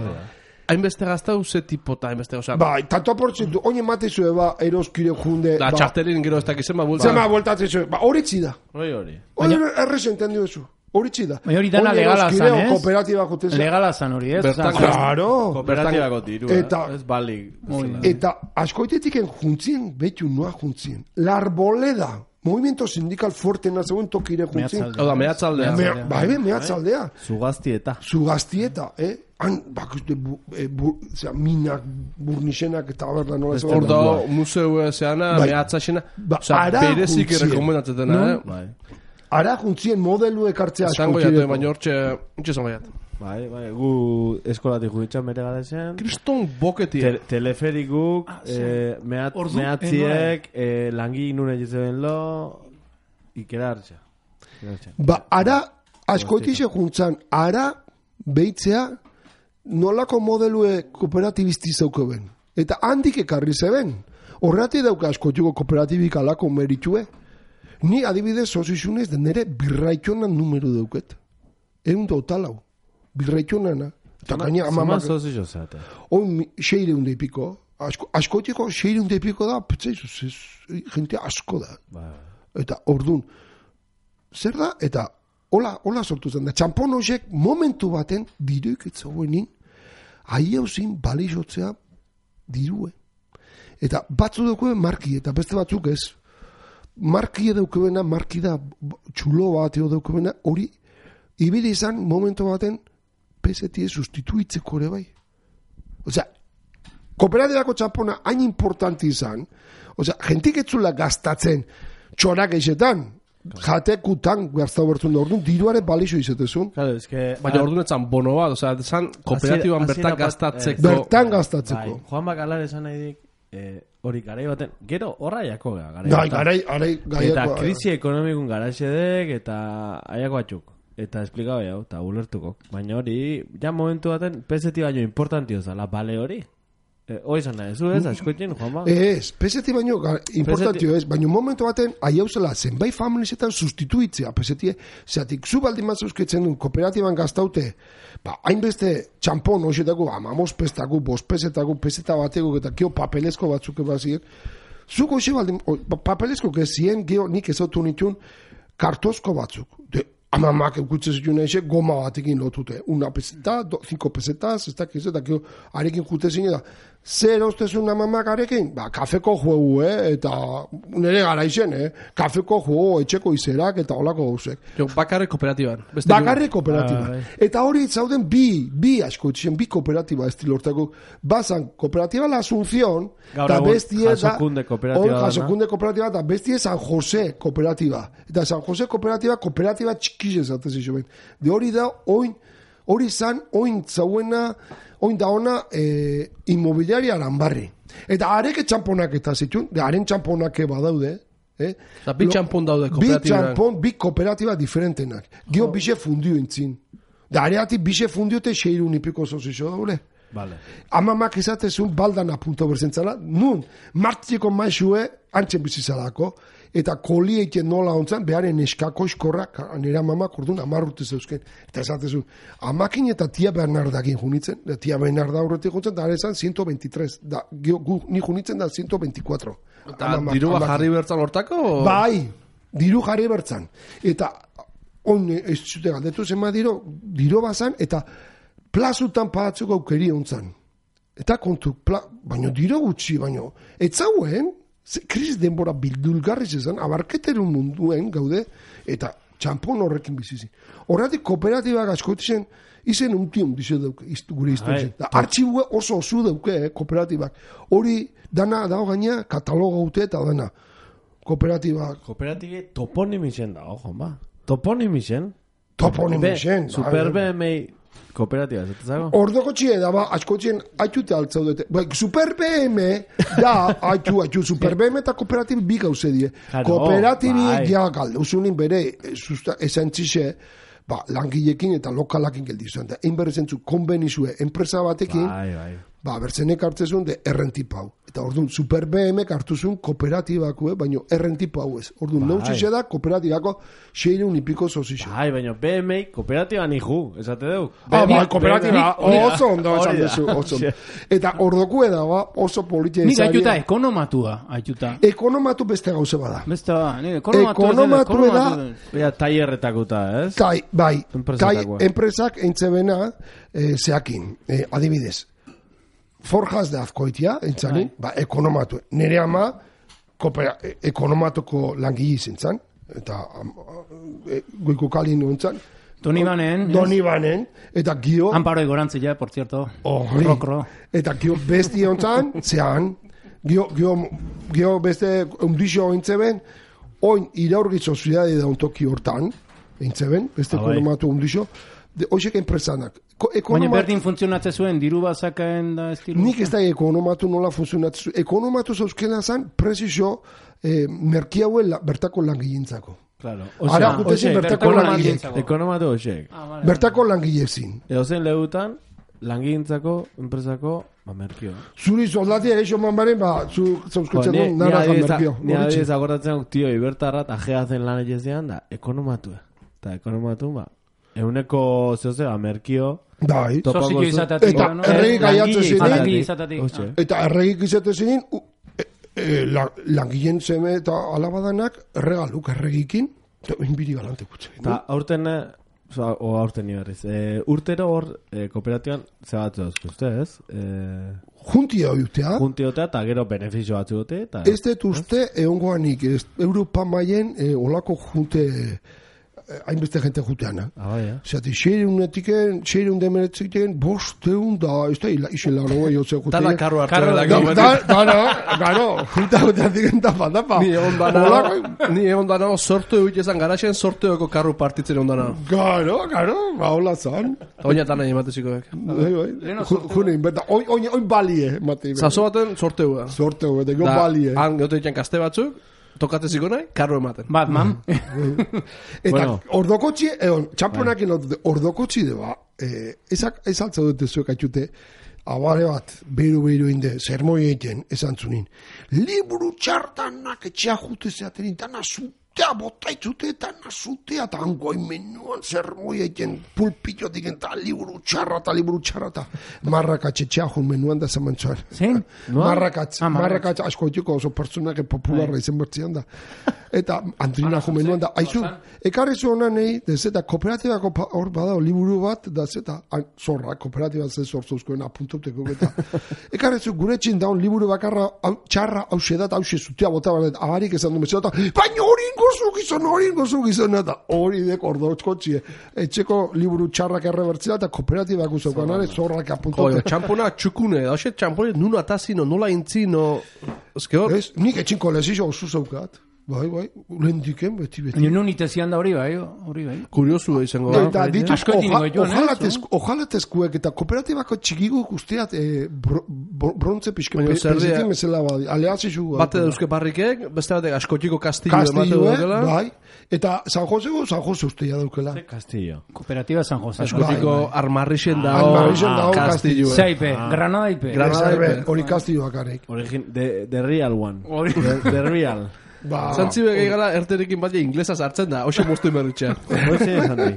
Hainbeste gazta uze tipota, hainbeste gozak. Bai, tanto aportzitu, oin ematezue ba, eroskire junde... Da, ba, txartelin gero ez dakizen ba bulta. Zema bultatzen zuen, ba, horitzi da. Hori hori. Hori erresen tendu ezu, horitzi da. Baina hori dana legala zan, ez? Kooperatiba joteza. Legala zan hori, ez? Bertan, Claro. Kooperatibako diru, Eta- ez balik. Eta askoitetiken juntzien, betu noa juntzien. La Arboleda, movimiento sindical fuerte nazeuen tokire juntzien. Hau da, mehatzaldea. Me, bai, be, mehatzaldea. Zugaztieta. Zugaztieta, eh? Han, bakuzte, bu, e, bu, zera, minak, burnixenak eta berda nola ez. Hor da, museu zeana, Bai. mehatzaxena. Ba, Osa, ara berezik juntzien. rekomendatzetena, No? eh? Bai. Ara juntzien modelu ekartzea Zango asko jatu, baina hortxe, hortxe zango jatu. Bai, bai, gu eskolatik juditzen bere galezen. Kriston boketia. Te, teleferikuk, eh, mehat, Ordu, mehatziek, eh, langi nune jitzen lo, ikera hartza. Ba, ara, askoitize juntzan, ara behitzea nolako modelue kooperatibisti zauko ben. Eta handik ekarri zeben. Horreati dauka askoituko kooperatibik alako meritue. Ni adibidez sozizunez den nere birraitonan numero dauket. Egun totalau. Birraitonana. Eta gaina Zama amamak... sozio zate. Hoi seire hunde piko. Asko, askoitiko seire hunde piko da, petzaizu, gente asko da. Bai. Eta ordun zer da? Eta hola, hola sortu zen da. Txampon horiek momentu baten diruik etzagoenin ahi hauzin balizotzea dirue. Eta batzu daukuen marki, eta beste batzuk ez. Marki edaukuena, marki da txulo bat edaukuena, hori ibili izan momentu baten pesetie sustituitzeko ere bai. Osea, kooperatibako txampona hain importanti izan, osea, jentik etzula gastatzen txorak eixetan, jatekutan gaztau bertzun da orduan, diruaren balizo izetezun. Claro, es que... Baina orduan etzan bono bat, osea, etzan kooperatiban Hasiera- bertan hasiera bat- gastatzeko. Bertan gastatzeko. Bai, Juan Bakalar esan nahi dik, eh, hori garai baten, gero horra jako gara. Garai, Gai, garai, garai, garai. eta krisi ekonomikun garaxedek, eta aiako batzuk. Eta esplikau jau, eta ulertuko. Baina hori, ja momentu baten, peseti baino importantio zala, bale hori. Eh, hoi zan nahi, zu ez, askoetin, Juanma? Ez, peseti baino, importantio ez, baino momentu baten, aiauzela, zenbait familizetan sustituitzea, pesetie, zeatik, zu baldin matzuzketzen du, kooperatiban gaztaute, ba, hainbeste txampon, hoxetako, amamos pestako, bos pesetako, peseta bateko, eta kio papelezko batzuk ebaziek, zuko hoxe baldin, papelezko gezien, geho nik ezautu nitun, kartozko batzuk, de, amamak eukutzen zituen eixe, goma batekin lotute. Una peseta, do, cinco pesetas, ez dakiz, eta kio, arekin jute zine da. Zer ostezun amamak arekin? Ba, kafeko juegu, eh? Eta nire gara izen, eh? Kafeko juegu, etxeko izerak, eta olako gauzek. Jo, bakarrik kooperatiban. Bakarrik kooperatiba. Ah, eta hori zauden bi, bi asko etxen, bi kooperatiba estilortako. Bazan, kooperatiba La Asunción, eta bestie da... Jasokunde kooperatiba. Jasokunde kooperatiba, eta bestie San Jose kooperatiba. Eta San Jose kooperatiba, kooperatiba txikize zatez iso ben. De hori da, oin, hori zan, oin zauena... Oin da ona e, inmobiliaria Aranbarri. Eta areke txamponak eta zituen, de haren txamponak badaude. Eh? Eta bi txampon daude kooperatiba. Bi txampon, bi kooperatiba diferentenak. Gio oh. bixe fundio intzin. Da areatik bixe fundiote xeiru nipiko zozixo daule. Vale. Amamak izatezun baldan apunto berzentzala. Nun, martziko maixue antzen bizizalako. Eta kolieiten nola ontzan, beharen eskako eskorra, nire amamak orduan amarrute zeuzken. Eta esatezun, amakin eta tia Bernardakin junitzen, da tia Bernarda horretik juntzen, da arezan ciento veintitrés, da gu, ni junitzen da ciento veinticuatro. Eta diru jarri bertzan hortako? Bai, diru jarri bertzan. Eta, on, ez zute galdetu zema diro, diro bazan, eta plazutan pagatzeko aukeri ontzan. Eta kontu, pla, baino diro gutxi, baino, etzauen, krisis denbora bildulgarriz ezan, abarketerun munduen gaude, eta txampon horrekin bizizi. Horretik kooperatibak askotizen, izen untion dizo dauke, gure historizen. Artxibue oso oso dauke, eh, kooperatibak. Hori, dana dago gaina, katalogo gaute eta dana. Kooperatibak. Kooperatibe toponimisen da, ojo, ba. Toponimisen. Toponimisen. Super B M I kooperatiba, ez zago? Ordoko txie da, ba, askotxien haitute altzaudete. Ba, Super B M da, haitu, haitu, Super B M eta kooperatibi bi gauze die. Kooperatibi ja galduzunin bere, esantzixe, ba, langilekin eta lokalakin geldizuen. Da, egin berrezentzu, konbenizue, enpresa batekin, bai, bai. ba, bertzenek hartzezun de errentipau. Eta orduan, Super B M hartuzun kooperatibako, baino errentipau ez. Orduan, bai. Nautzixe da, kooperatibako seireun ipiko zozixe. Bai, baino B M I kooperatiba nihu, esate deu. Ah, bai, kooperatiba oso ondo esan duzu, oso. Eta ordokue da, ba, oso politia izaria. Nik aituta ekonomatua, aituta. Ekonomatu beste gauze bada. Beste ba, ekonomatu. Ekonomatu da. Ea, taierretakuta, ez? Tai, bai, tai, enpresak entzebena eh, zeakin, eh, adibidez. Forjas de Azkoitia, entzanin, ba, ekonomatu. Nere ama, kopera, ekonomatuko langile zentzan, eta e, goiko kalin ontzan. Doni banen. Doni banen, eta gio... Amparo egorantzia, por cierto. Horri. Rokro. Eta gio besti ontzan, zean, gio, gio, gio beste undixo entzeben, oin iraurgi soziedade da ontoki hortan, entzeben, beste ah, ekonomatu undixo, de hoxek enpresanak. Baina berdin funtzionatze zuen, diru bazakaen da estilu? Nik ez da ekonomatu nola funtzionatze zuen. Ekonomatu zauzkena zan, prezizio, eh, merkiaue la, bertako langilintzako. Claro. Ara, gutezin bertako langilintzako. Ekonomatu hoxek. Ah, vale, bertako langilezin. Edo zen lehutan, langilintzako, enpresako, ba, merkio. Zuri soldatia eixo manbaren, ba, zu zauzkutzen duen, nara da merkio. Ni adiz akordatzen, tio, ibertarrat, ajea zen lan egezean, da, ekonomatu. Eta ekonomatu, ba, euneko zehozea, merkio, Dai. Sozio izatetik. Eta erregik aiatzen zinin. Eta erregik izaten zinin, langileen zeme eta alabadanak erregaluk erregikin, eta inbiri galante kutze. Eta aurten, o aurten nibarriz, urtero hor kooperatiban zebatzu dauzko, uste ez? Juntia oiutea. Juntia oiutea eta gero benefizio batzu dute. Ez dut uste, eongoanik, Europa maien olako junte... hainbeste jente juteana. Ah, bai, eh? Zati, xeireunetik, xeireun demeretziken, bosteun da, ez da, izen laro gai hotze jutean. Dana karro hartu Karro- dela. Da, da, da, garo, junta juteatik tapa, tapa. Ni egon dana, ni egon dana sortu egit ezan garaxen sortueko karru partitzen egon dana. Garo, garo, ba, hola zan. Oina tana ematezikoek. Bai, bai. Leheno Ju- June, inberta, oin, oin, oin balie, mate. Zazo baten sorteua. Sorte, bete, go Da, balie. han geote ditzen kaste batzuk, tokatzeziko nahi, karro ematen. Batman. Eta Bueno. ordokotxi, egon, txamponakin lotute, ordokotxi de ba, eh, ezak, ez altza dute zuek atxute, abare bat, beru beru inde, zermoi egiten, esan zunin. Liburu txartanak etxea jute zeaten, eta nasutea botaitzute, eta nasutea, eta hangoin menuan zermoi egiten, pulpitotik eta liburu txarra, eta liburu txarra, eta marrakatxe txea jun menuan da zaman txar. Zein? Marrakatz, Ah, marrakatz. marrakatz asko etxeko oso pertsonak popularra izen bertzian da. Eta Antrina jumenuan da, aizu, ekarri zu honan nahi, dez eta kooperatibako pa- hor badao liburu bat, da zeta, zorra, kooperatiba ze sortzuzkoen apuntauteko eta. Ekarri zu gure txin daun liburu bakarra, hau, txarra, hau sedat, hau zutia bota badet, abarik esan du meseta, baina hori ingozu gizon, hori ingozu gizon, eta hori dek ordotzko txie. Etxeko liburu txarrak errebertzila eta kooperatibak uzokoan, are zorrak Joder, apuntaute. txampona txukune, da hoxe txampone nuno atazino, nola intzino, ezke hor, Ez, nik etxinko lezio oso zaukat. Bai, bai, ulendiken, beti, beti. Ni nun itezian da hori bai, hori bai. kuriosu izango da. Eta dituz, Asko etin oja- goituan, eh, ojalatezku- ojalatezkuek eta kooperatibako txikiguk usteat eh, bro- bro- brontze pixke Baina pe- zer dira- pezitin bezala badi. Aleazizu. Bate dauzke parrikek, beste batek askotiko kastillo emate Kastillo, daukela. bai. Eta San Josego, San Jose usteia daukela. Castillo. Kooperatiba San Jose. Askotiko Bai, armarrixen dao, Armarrixen dao kastillo. Zaipe, Granada ipe. Granada Ez, ipe. Hori kastilloak arek. Origin, the, the real one. Hori. The, the real. Ba, Zantzibe gehi gara erterekin bat inglesa sartzen da, hoxe moztu emerritxea. Hoxe esan di.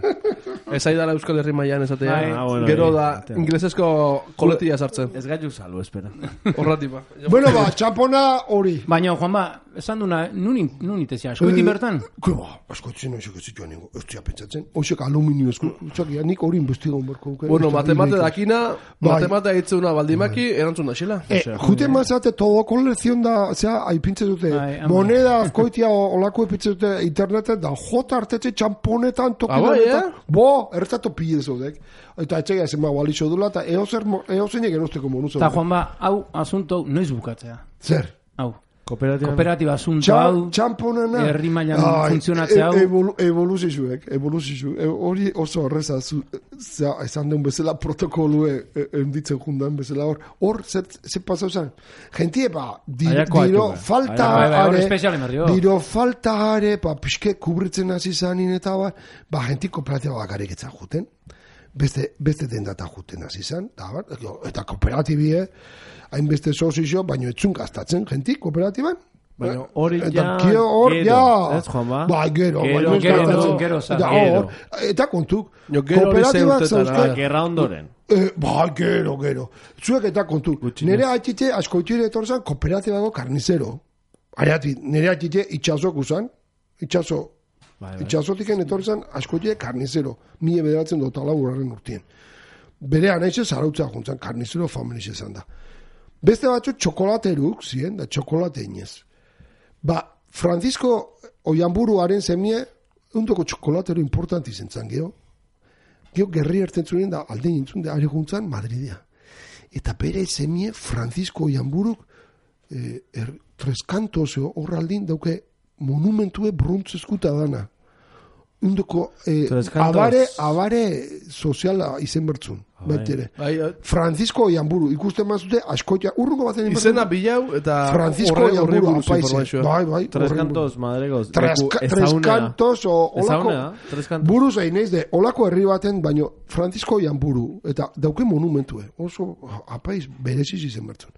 Ez aidala Euskal Herri mailan esatea. Bai. Ah, bueno, Gero bai. da inglesezko koletia sartzen. Ez gaitu salvo, espera. Horratipa. bueno, ba, txampona hori. Baina, Juanba, esan duna, nun, in- nun itezia, askoitin bertan? Ke ba, askotzen oizek ez zituan ningo, ez zia pentsatzen. Oizek aluminio esku, txakia, nik hori investigon berko. nuke. Bueno, Ez da, matemate ireikaz. dakina, Bai. matemate ditzeuna baldimaki, erantzun da xela. Eh, jute mazate todo kolezion da, zera, aipintze dute, Bai, ama. moneda azkoitia olako epintze dute interneten, da jota hartetxe txamponetan toki Ah, bai, honetan. eh? Bo, ertzatu pide zodek. Eta etxegia zen mago alixo dula, eta eozein egin usteko monu Eta zodek. Juanba, hau asunto noiz bukatzea. Zer? Hau, Kooperatiba. kooperatiba asunto Txa- hau, Txamponena. herri mailan Ai, funtzionatzea hau. e- evolu- Evoluzizuek, evoluzizu. E, hori oso horreza, zu- zea, esan den bezala protokolue e, enditzen jundan bezala hor. Hor, zer, zer pasau zen? Gentie, ba, di, Aiako diro atu, falta Bai, bai, hor are, espezial emerrio. diro falta are, ba, pixke kubritzen hasi zanin eta ba, ba, genti kooperatiba bakarrik etzan juten. Beste, beste dendata juten hasi zan, da, bar, eta kooperatibie, hainbeste sozizio, baino etzun gastatzen, genti kooperatiban. Baina hori Eta ja, kio hor, gero, ja. ez, Juanba? Bai, gero. Gero, baina ez gero, gastatzen. gero, zan. Eta Gero. hor, eta kontuk, Jo, gero hori kooperatibak zeurtetara. zauzke, Ba, gerra ondoren. eh, bai, gero, gero. Zuek eta kontu, Gutxinez. nire atxite askoitire etorzan kooperatibako karnizero. Ariati, nire atxite itxasok usan, itxaso, Bai, bai. itxasotiken etorzan askoitire karnizero, mie bederatzen dut alaburaren urtien. Bere anaize zarautzea juntzan, karnizero familiz esan da. Beste batzu txokolateruk, ziren, da txokolate inez. Ba, Francisco Oianburuaren zemie, undoko txokolatero importanti zentzan, geho. Geho, gerri erten zuen da, alde nintzun, da, ari juntzan, Madridea. Eta bere zemie, Francisco Oianburuk, eh, er, treskantoz, horraldin, dauke, monumentue bruntzeskuta dana. Undoko, eh, Treskantoz. abare, abare soziala izen bertzun, Bai. baitere. Bai, eh, Francisco Oianburu, ikusten mazute, askotia, urrungo baten izena bilau eta Francisco horre- horri Oianburu, buruz apaize. informazioa. Bai, bai. Tres horren kantos, madregoz. Tres, leku tres ezagunea. kantos, o, olako, Ezagunea, tres kantos. buruz egin naiz de, olako herri baten, baino, Francisco Oianburu, eta dauke monumentue, oso, apaiz, bereziz izen bertzun.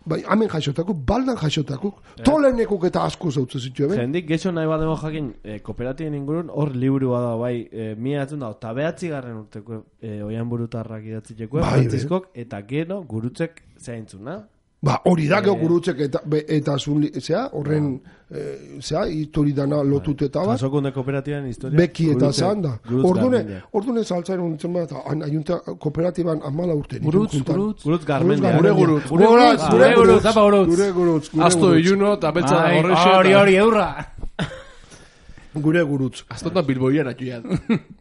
Bai, hemen jaixotakuk, baldan jaixotakuk, tolenekuk eta asko zautzen zitu, eben? Jendik, getxo nahi bat demo jakin, eh, kooperatiben ingurun, hor liburu bada, bai, eh, mila atzen da, eta behatzi garren urteko eh, oian burutarrak idatziteko, Bai, Franziskok, eta gero gurutzek zeintzuna. Ba, hori da, geho Eh. gurutzek eta, be, eta zun, li- zea, horren, eh, zea, histori dana lotut eta bat. Jasokunde kooperatiben historia. Beki eta Gurutzek- zan da. gurutz Ordune, garmendia. ordune saltzaren unitzen bat, an- aiunta kooperatiban amala urte. Gurutz, gurutz. Gurutz garmendia. Gure gurutz. Gure gurutz, gure gurutz, apa gurutz. Gure gurutz, gure Asto gurutz. iluno eta betza Ai, horrexe. hori, hori, eurra. Gure gurutz. Aztotan Bilboian atxuian.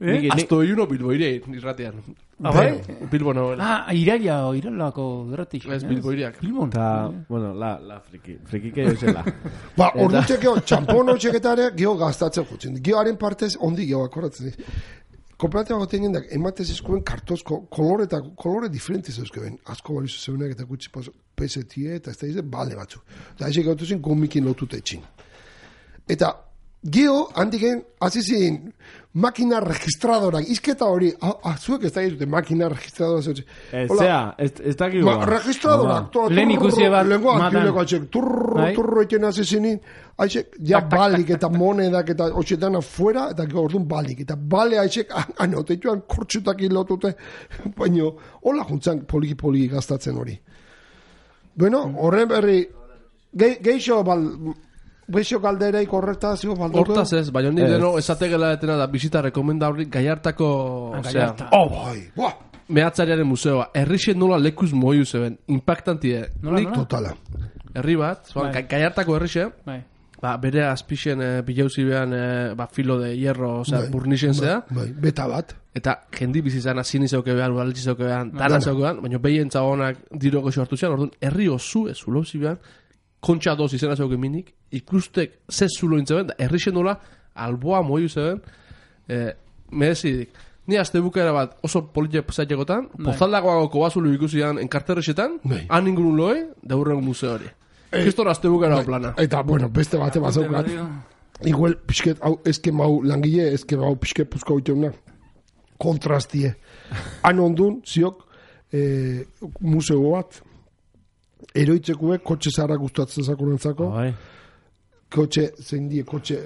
Eh? Azto iuno Bilboirein, irratean. Ah, bai? Bilbo nagoela. Ah, iraila, iralako derratik. Ez, Bilboiriak. Bilbon. Ta, bueno, la, la friki. Frikike joizela. Ba, ordu txekeo, txampono txeketare, geho gaztatzen jutzen. Gehoaren partez, ondi geho akoratzen. Kooperatiba goten jendak, ematez eskuen kartozko, kolore eta kolore diferentiz euskeben. Asko balizu zeunak eta gutxi pesetie eta ez da izan, bale batzu. Eta eze gautu zen, gomikin lotuta etxin. Eta, geho, handiken, azizin, makina registradorak, izketa hori, azuek ez da egitute, makina registradorak zeutzen. Ez, zea, ez, ez dakik Ma, registradorak, to, Lehen ikusi bat, lenguak, matan. dileko atxek, turro, turro eten azizinin, aitzek, ja balik eta monedak eta otxetan afuera, eta gero orduan balik, eta bale aitzek, anotetuan kortxutak hilotute, baina, hola juntzan poliki-poliki gaztatzen hori. Bueno, horren berri, ge, geixo, bal, Beixo galdereik horretazio balduko? Hortaz ez, baina honi deno esategela etena da bizita rekomenda horri Gaiartako, osea, Oh, bai, buah! mehatzariaren museoa. Herrixen nola lekuz moiu zeben, impactantie. Nola, Nik nola? Totala. herri bat, zoan, Bai. Gaiartako herrixe, Bai. ba, bere azpixen e, bilauzi behan e, ba, filo de hierro, osea, Bai, burnixen zea, Bai, beta bat. eta jendi bizizan azini zeuke behan, udaletxe zeuke behan, dana zeuke behan, baina behien zagonak diro goxo hartu zean, orduan, herri osu ez ulauzi behan, kontxa doz izena zeuke minik, ikustek ze zulo intzeben, da herrixen nola, alboa moiu zeben, e, merezidik. Ni azte bukaera bat oso politia zaitekotan, pozaldagoago kobazulu ikusian enkarterrexetan, Bai. han ingurun loe, daurren museo hori. Kistor azte bukaera plana. Eta, bueno, beste bate bazaukat. Igual, pixket, hau, eskem hau langile, eskem hau pixket puzko hauteuna. Kontrastie. Han ondun, ziok, eh, museo bat, eroitzekue, kotxe zara gustatzen zakorentzako, Bai. kotxe, zein die, kotxe,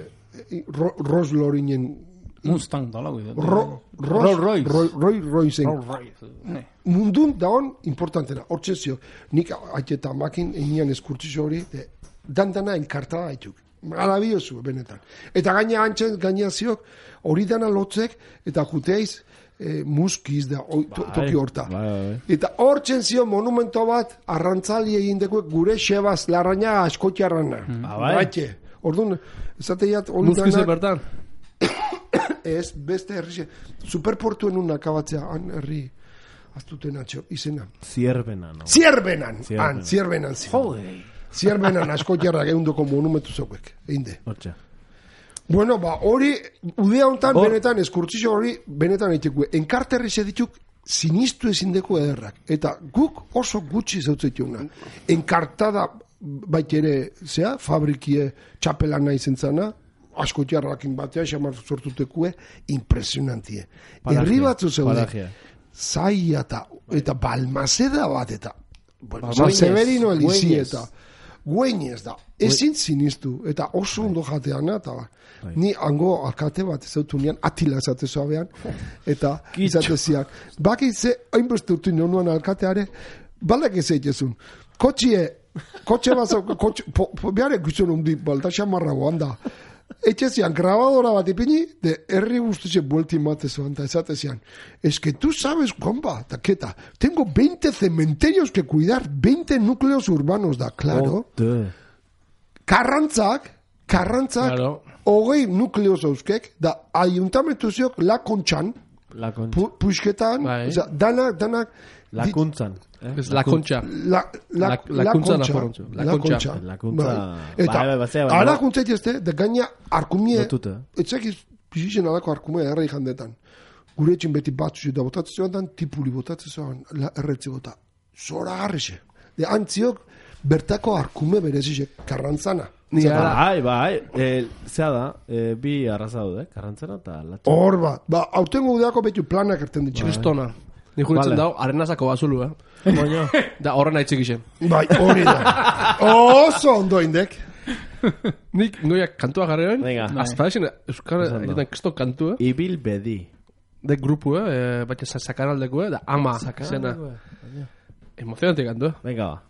eh, ro, Rolls Lorinen, Mustang dala, güey. ro, Rolls Royce. Roy, Roy, Roycen. Rolls Royce. Ne. Mundun daon importantena, hortzen zio, nik aiteta makin enian eskurtzio hori, de, dandana enkartada haituk. Marabiozu, benetan. Eta gaina antzen, gaina ziok, hori dana lotzek, eta juteiz, e, muskiz da, oi, to, Bai, toki horta. bai, bai. Eta hortzen zio monumento bat, arrantzali egin dekuek gure xebaz larraina askotiarrana. Ah, bai? Baitxe. Orduan, esateiat hori Muzkize danak, bertan. ez, beste herri, superportuen un akabatzea, han herri, aztuten atxo, izena. Zierbena, no? Zierbenan, Zierbenan. han, zierbenan zion. Joder. Zierbenan askotiarrak eundoko monumentu zeuek, einde. Hortxe. Bueno, ba, hori, udea hontan Hor- benetan, eskurtzio hori, benetan eitekue. Enkarterri zedituk, sinistu ezindeko ederrak. Eta guk oso gutxi zeutzetiuna. Enkartada, bait ere, zea, fabrikie txapelan nahi zentzana, askotiarrakin batea, xamar sortutekue, impresionantie. Paragia, Herri batzu zeude, paragia. zaila eta, eta balmazeda bat, eta, bueno, Ba, San Güeñez, Severino elizi Güeñez. eta, Güeñez da, ezin sinistu, eta oso ondo jateana, eta ba, ni hango alkate bat zeutu nian, atila esate zoabean, eta izateziak, baki ze, hainbeste urtu nionuan alkateare, balak ez eitezun, kotxie, kotxe bazau, kotxe, po, po, behar ekusen undi, balta xamarra da, etxezian, grabadora bat ipini, de herri guztize buelti matezuan, eta esatezian, es que tú sabes, compa, taqueta, tengo veinte cementerios que cuidar, veinte núcleos urbanos, da, claro, Ote. karrantzak, karrantzak, Claro. hogei nukleoz euskek, da, ayuntamentu ziok, la kontxan, La concha. pu, puxketan, Bai. oza, danak, danak, La di- kuntzan. Eh? Ez la concha. La, la, La- la, la kuntza kontxa, nafarrontzu, la la kontxa. kontxa. La kuntza- Bai. Eta, bai, bai, batzea, baina- ara kuntza itezte, de gaina arkumie, Lotuta. etxekiz pixixen alako arkumie errei jandetan. Gure etxin beti batzu da botatzen zoan dan, tipuli botatzen zoan, la erretze bota. Zora garrixe. De antziok, bertako arkume berezizek, karrantzana. Ni Zata, ara- Bai, bai, eh, zea da, eh, bi arraza daude, karrantzana eta latxa. Hor bat, ba, autengo udeako betu planak erten ditxe. Kristona. Ni juritzen Vale. dago, arenazako bazulu, eh? Moño. Da, horren aitzik isen. Bai, hori da. Oso ondo indek. Nik noia kantua jarri ben, Venga. hasta esen euskara Esan da. egiten kriston kantu, eh? Ibil bedi. De grupu, eh? Baina sakanaldeko, eh? Da, ama, zena. Emozionante kantu, eh? Venga, ba.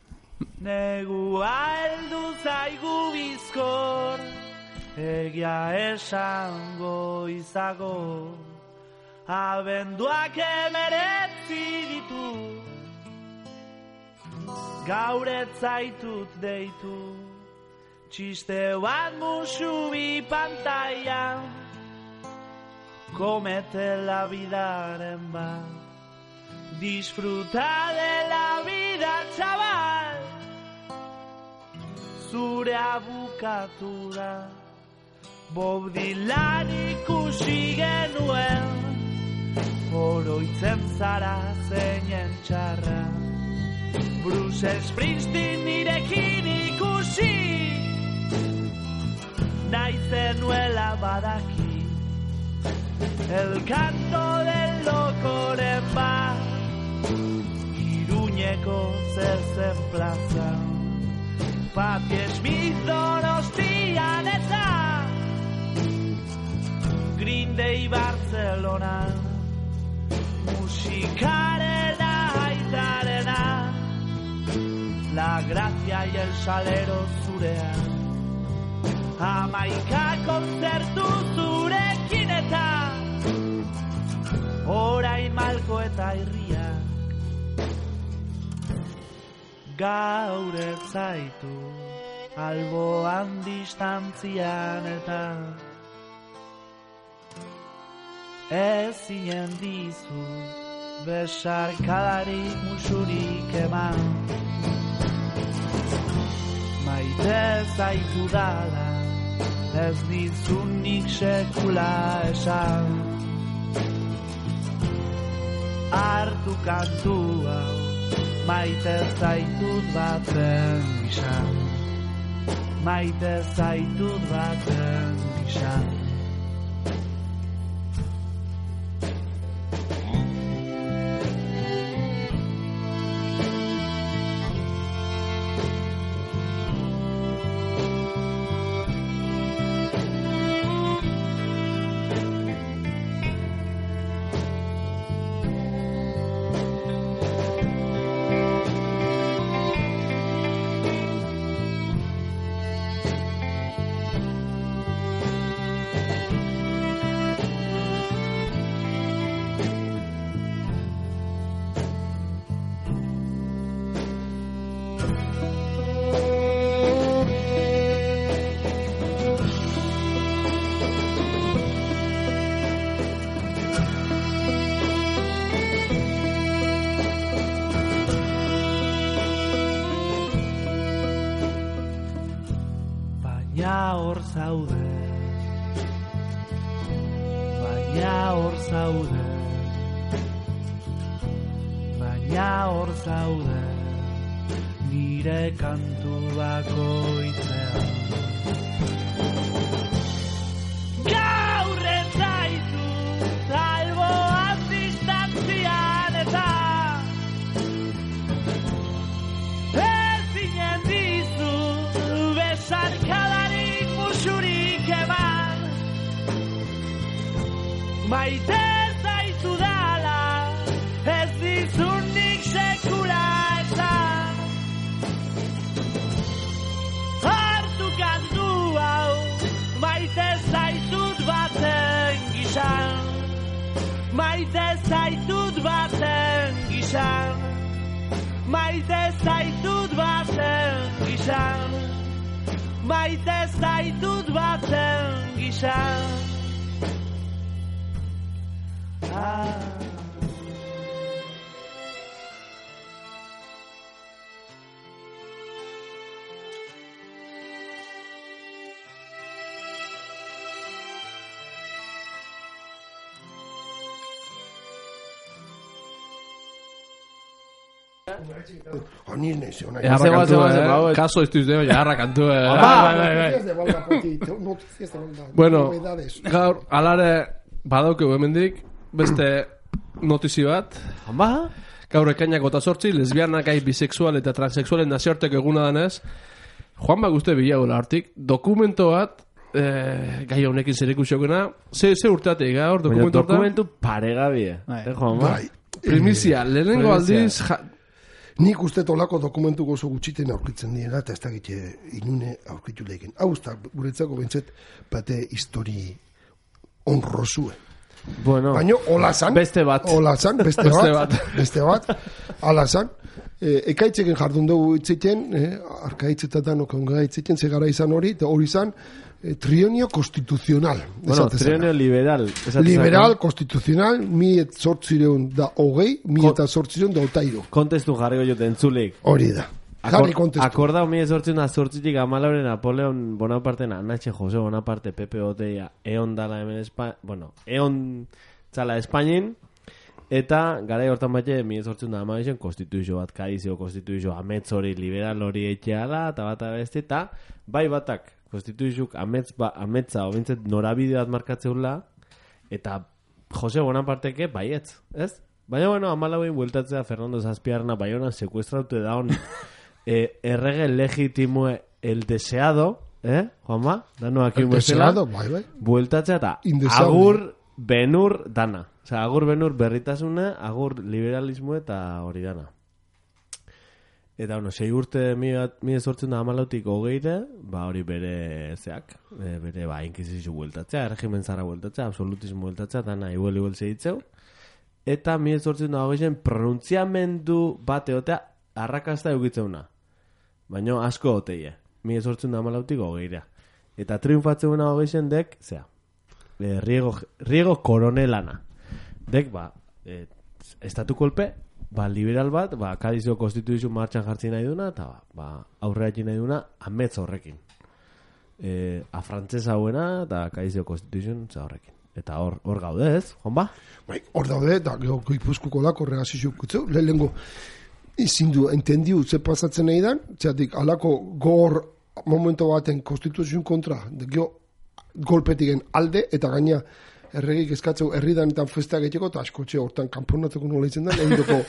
Negua heldu zaigu bizkor, egia esango izago, abenduak emeretzi ditu, gaur ez zaitut deitu, txiste bat musubi pantailan, komete la vidaren bat. Disfruta de la vida, chaval, zure abukatu da. Bob Dylan ikusi genuen, oroitzen zara zeinen txarra. Bruce Springsteen nirekin ikusi, nahi zenuela badaki. El canto del locoren bat, Iruñeko zezen plazan, Patti Smith Donostian eta Green Day Barcelonan, musikarena aitarena, La Gracia y el Salero zurean, Hamaika kontzertu zurekin eta orain malko eta irriak gaur ez zaitu alboan distantzian eta ezinen dizu besarkadarik musurik eman. Maite zaitu dala ez dizunik sekula esan. Hartu kantu hau maite zaitut baten gizan, maite zaitut baten gizan. Baina hor zaude, baina hor zaude, baina hor zaude, nire kantu bakoitzean. Gaur ez zaitu, alboan distantzian eta ezinen dizu besarkadarik musurik eman. Maite zaitu dala, ez dizunik sekula esan. Hartu kantu hau, maite zaitut baten gizan. Maite zaitut baten gizan. Maite zaitut baten gizan. Maite zaitut baten gizan. Ah. Oni naiz, ona. Jarra kantua, eh? Kaso ez duzeo, jarra kantua. Noticias de Valga Potito, noticias de Valga. Bueno, novedades. gaur, alare, badaukegu hemendik, beste notizi bat. Hama? Gaur ekainak gota sortzi, lesbianak, gai, bisexual eta transexualen nazioarteko eguna danez, Juan Baguste bilagola hartik, dokumento bat, eh, gai honekin zerikusiokena, ze, ze urteatik gaur, Baina dokumentu hortan? dokumentu paregabie. Bai. Eh, Juanma? Bai. Primizia, lehenengo Primizia. aldiz, ja, Nik uste tolako dokumentu gozo gutxiten aurkitzen dira, eta ez dakit inune aurkitu lehiken. Hau da, guretzako bentzet, bate histori honrosue. Bueno, Baina, hola zan. beste bat. Hola zan, beste, Beste bat. Beste bat. Hala zan. E, ekaitzeken jardun dugu itziten, eh, arkaitzetan okonga itziten, zegara izan hori, eta hori zan, eh, trienio constitucional. Bueno, esate zana. trienio liberal. esate Liberal, zana. constitucional, mi et sortzireun da hogei, mi eta sortzireun da otairu. Kontestu jarriko jote entzuleik. Hori da. Jarri kontestu. Akordau mi ezortzen da zortzitik amalauren Napoleon Bonaparten, Anache Jose Bonaparte, Pepe Oteia, eon dala hemen Espa... Bueno, eon txala Espainin, eta garai hortan batxe mi ezortzen da amabixen konstituizio bat, kadizio konstituizio amets hori, liberal hori etxeala, eta bat abesti, eta bai batak konstituizioak amets ba, ametza, obintzet norabide bat markatzeula, eta Jose Bonaparteke baietz, ez? Baina, bueno, amalauin bueltatzea Fernando Zazpiarna Baionan sekuestraute daun eh, errege legitimue el deseado, eh, Juanma? Dano aquí El deseado, bai, bai. bueltatzea eta Indeseable. agur benur dana. Osea, agur benur berritasuna, agur liberalismo eta hori dana. Eta, bueno, sei urte mi, mi ezortzen da amalautik hogeire, ba hori bere zeak, e, bere ba inkizizio bueltatzea, erregimen zara bueltatzea, absolutismo bueltatzea, dana igual igual segitzeu. Eta mi ezortzen da hogeizen pronuntziamendu bat egotea arrakasta eukitzeuna. Baina asko oteie. Mi ezortzen da amalautik hogeira. Eta triunfatzeuna hogeizen dek, zea, e, riego, riego koronelana. Dek, ba, e, estatu kolpe, ba, liberal bat, ba, kadizio konstituizio martxan jartzi nahi duna, eta ba, aurrera egin nahi duna, ametz horrekin. E, a frantzesa hauena, eta kadizio konstituizio horrekin. Eta hor, hor gaude ez, Juanba? Bai, hor daude, eta gero Gipuzkoako lako reazizio kutzeu, lehenengo ezin du, entendiu, ze pasatzen nahi dan, txatik, alako gor momento baten konstituzioen kontra, de gero golpetigen alde, eta gaina erregik eskatzeu herridanetan festak egiteko, eta askotxe hortan kanponatzeko nola itzen da, egiteko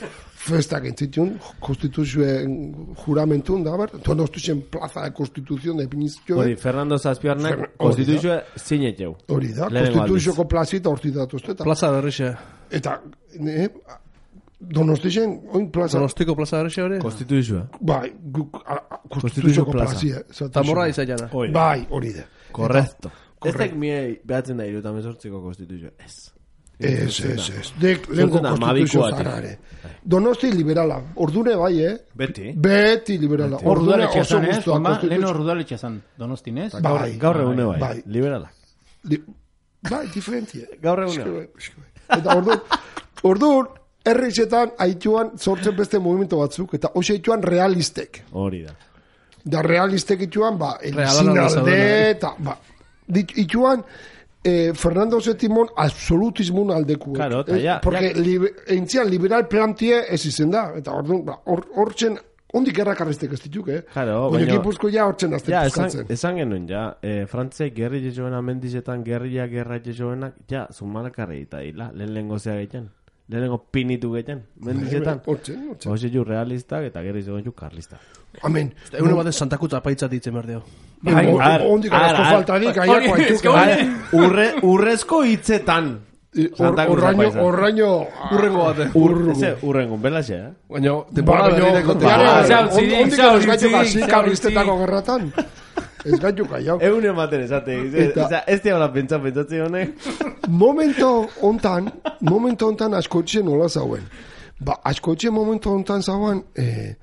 festak entzitun, konstituzioen juramentun, da, ber, Donostiaren plaza de konstituzion da epinizio. Hori, Fernando Zazpiarnak Fer- konstituzioa zineteu. Hori da, Lehenengo konstituzioko plazita horti datuzte, eta, Plaza berrixe. eta eh, Donostiaren, oin plaza, Donostiko plaza berrixe hori? Konstituzioa. bai, guk, a- a- Konstituzio konstituzioko plaza. plazia. esaten Tamorra zuen. izaiana. Bai, hori da. Correcto. Ez dek miei behatzen da iruta mezortziko konstituzioa. Ez. Ez, ez, ez. Dek, lehenko Sortzen da, konstituzio mabikoatik. zarare. Donosti liberala. Ordune bai, eh? Beti. Beti liberala. Hor Ordune rudaletxea oso zan, ez? guztua. Juanma? konstituzio- Lehen hor rudaletxea zan, Donostin, ez? Bai, Gaur egune bai. bai. Liberalak. Li- Bai, diferentia. Gaur egune. Eske bai, eske bai. Eta orduan, orduan, herrixetan haituan sortzen beste movimento batzuk, eta hoxe haituan realistek. Hori da. Da realistek ituan, ba, Realana elizinalde, zaudela, eta, ba, dit- ituan, eh, Fernando Sétimon absolutismun aldekuek. Claro, eta Eh, ja- Porque ja- libe, entzian liberal plantie ez izen da, eta orduan, ba, hor, hortzen, ondik errakarriztek ez dituk, eh? Claro, Baina baina- Gipuzko ja hortzen azten Ja, esan, puzkatzen. esan genuen, ja, eh, Frantziak gerri jesoena mendizetan, gerria gerra jesoenak, ja, zumalakarri eta hila, lehen lehen gozea gehiten. Lehen lengo pinitu gehiten, mendizetan. Hortzen, hortzen. Hoxe ju realistak eta gerri zegoen ju karlistak. Amen. Egun baten santakuta apaitza ditzen behar deo. Bai, ar- ondik ar- arazko ar- faltadik, aiako haituk. Bai, urre, urrezko hitzetan. Santa Cruz Horraino, apaiza. horraino... Urrengo bate. Ur, eze, urrengo, belaxe, eh? Baina, Ba, temporada baina, berrire kontra. jare, Ba, on- zautzirik, ondik ez gaitu zautzirik, gazi zautzirik. karlistetako gerratan. Ez gaitu kaiau. Egun ematen esate, Eta- eta, ez diabla pentsa pentsatze honek. Momento hontan, momento hontan askotxe nola zauen. Ba, askotxe momento hontan zauen, eh,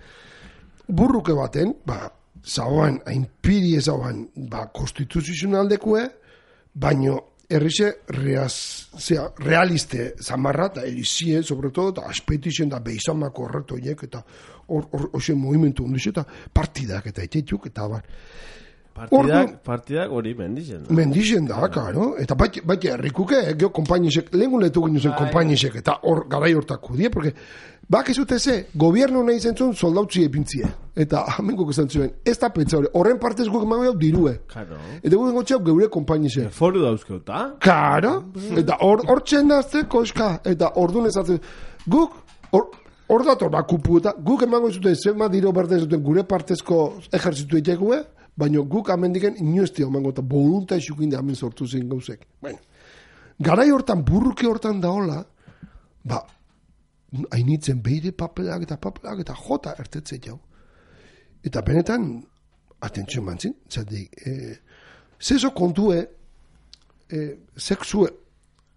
burruke baten, ba, zauen, hainpiri zauen, ba, konstituzionaldekue, baino, errixe, reaz, zera, realiste zamarra, eta elizie, sobre todo, eta aspetixen da beizamako horretoiek, eta hor, hor, hoxe movimentu ondiz, eta partidak, eta etxetuk, eta bar. Partidak, Ordu- partidak hori mendizen. Mendixen da, karo. Eta baita bait errikuke, eh, geho kompainisek, lehengun lehetu ginen zen kompainisek, eta hor garai hortako die, porque bak ez dute ze, gobierno nahi zentzun soldautzi epintzie. Eta hamenguk esan zuen, ez da pentsa hori, horren partez guk emango jau dirue. Claro. Eta guk engotxeau geure kompainisek. Foru dauzkeuta. Karo, eta hor hor txendazte koska, eta ordun ezatzen, guk, hor, hor dator bakupu, eta guk emango zuten zenba diro berde zuten gure partezko ejertzitu etekue, baina guk amendiken inoestia emango, eta bolunta esukin da hemen sortu zen gauzek. Bueno, garai hortan, burruke hortan daola, ba, hainitzen beire papelak eta papelak eta jota ertetze jau. Eta benetan, atentzio mantzin, zatik, eh, zezo kontue, eh, sexue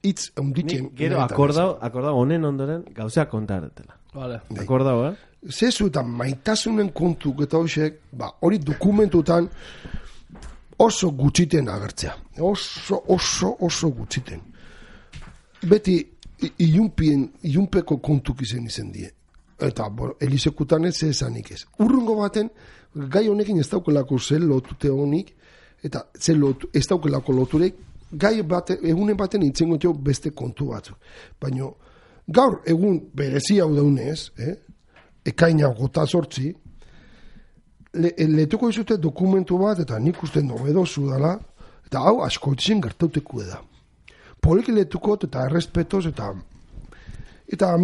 hitz eunditzen. Nik gero akordau, akordau honen ondoren gauzea kontaretela. Vale. Akordau, eh? Zezu eta maitasunen kontuk eta hoxek, ba, hori dokumentutan oso gutxiten agertzea. Oso, oso, oso gutxiten. Beti ilunpien, ilunpeko kontuk izen izen die. Eta, bueno, elizekutan ez esanik ez. Urrungo baten, gai honekin ez daukelako zel lotute honik, eta zel lotu, ez daukelako loturek, gai baten, egunen baten itzengo jo beste kontu batzuk. Baina, gaur egun berezi hau daunez, eh? Ekaina gota sortzi, le, letuko izute dokumentu bat, eta nik uste nobedozu dela, eta hau asko itzen gertauteku da. Poliki letuko eta errespetoz, eta, eta,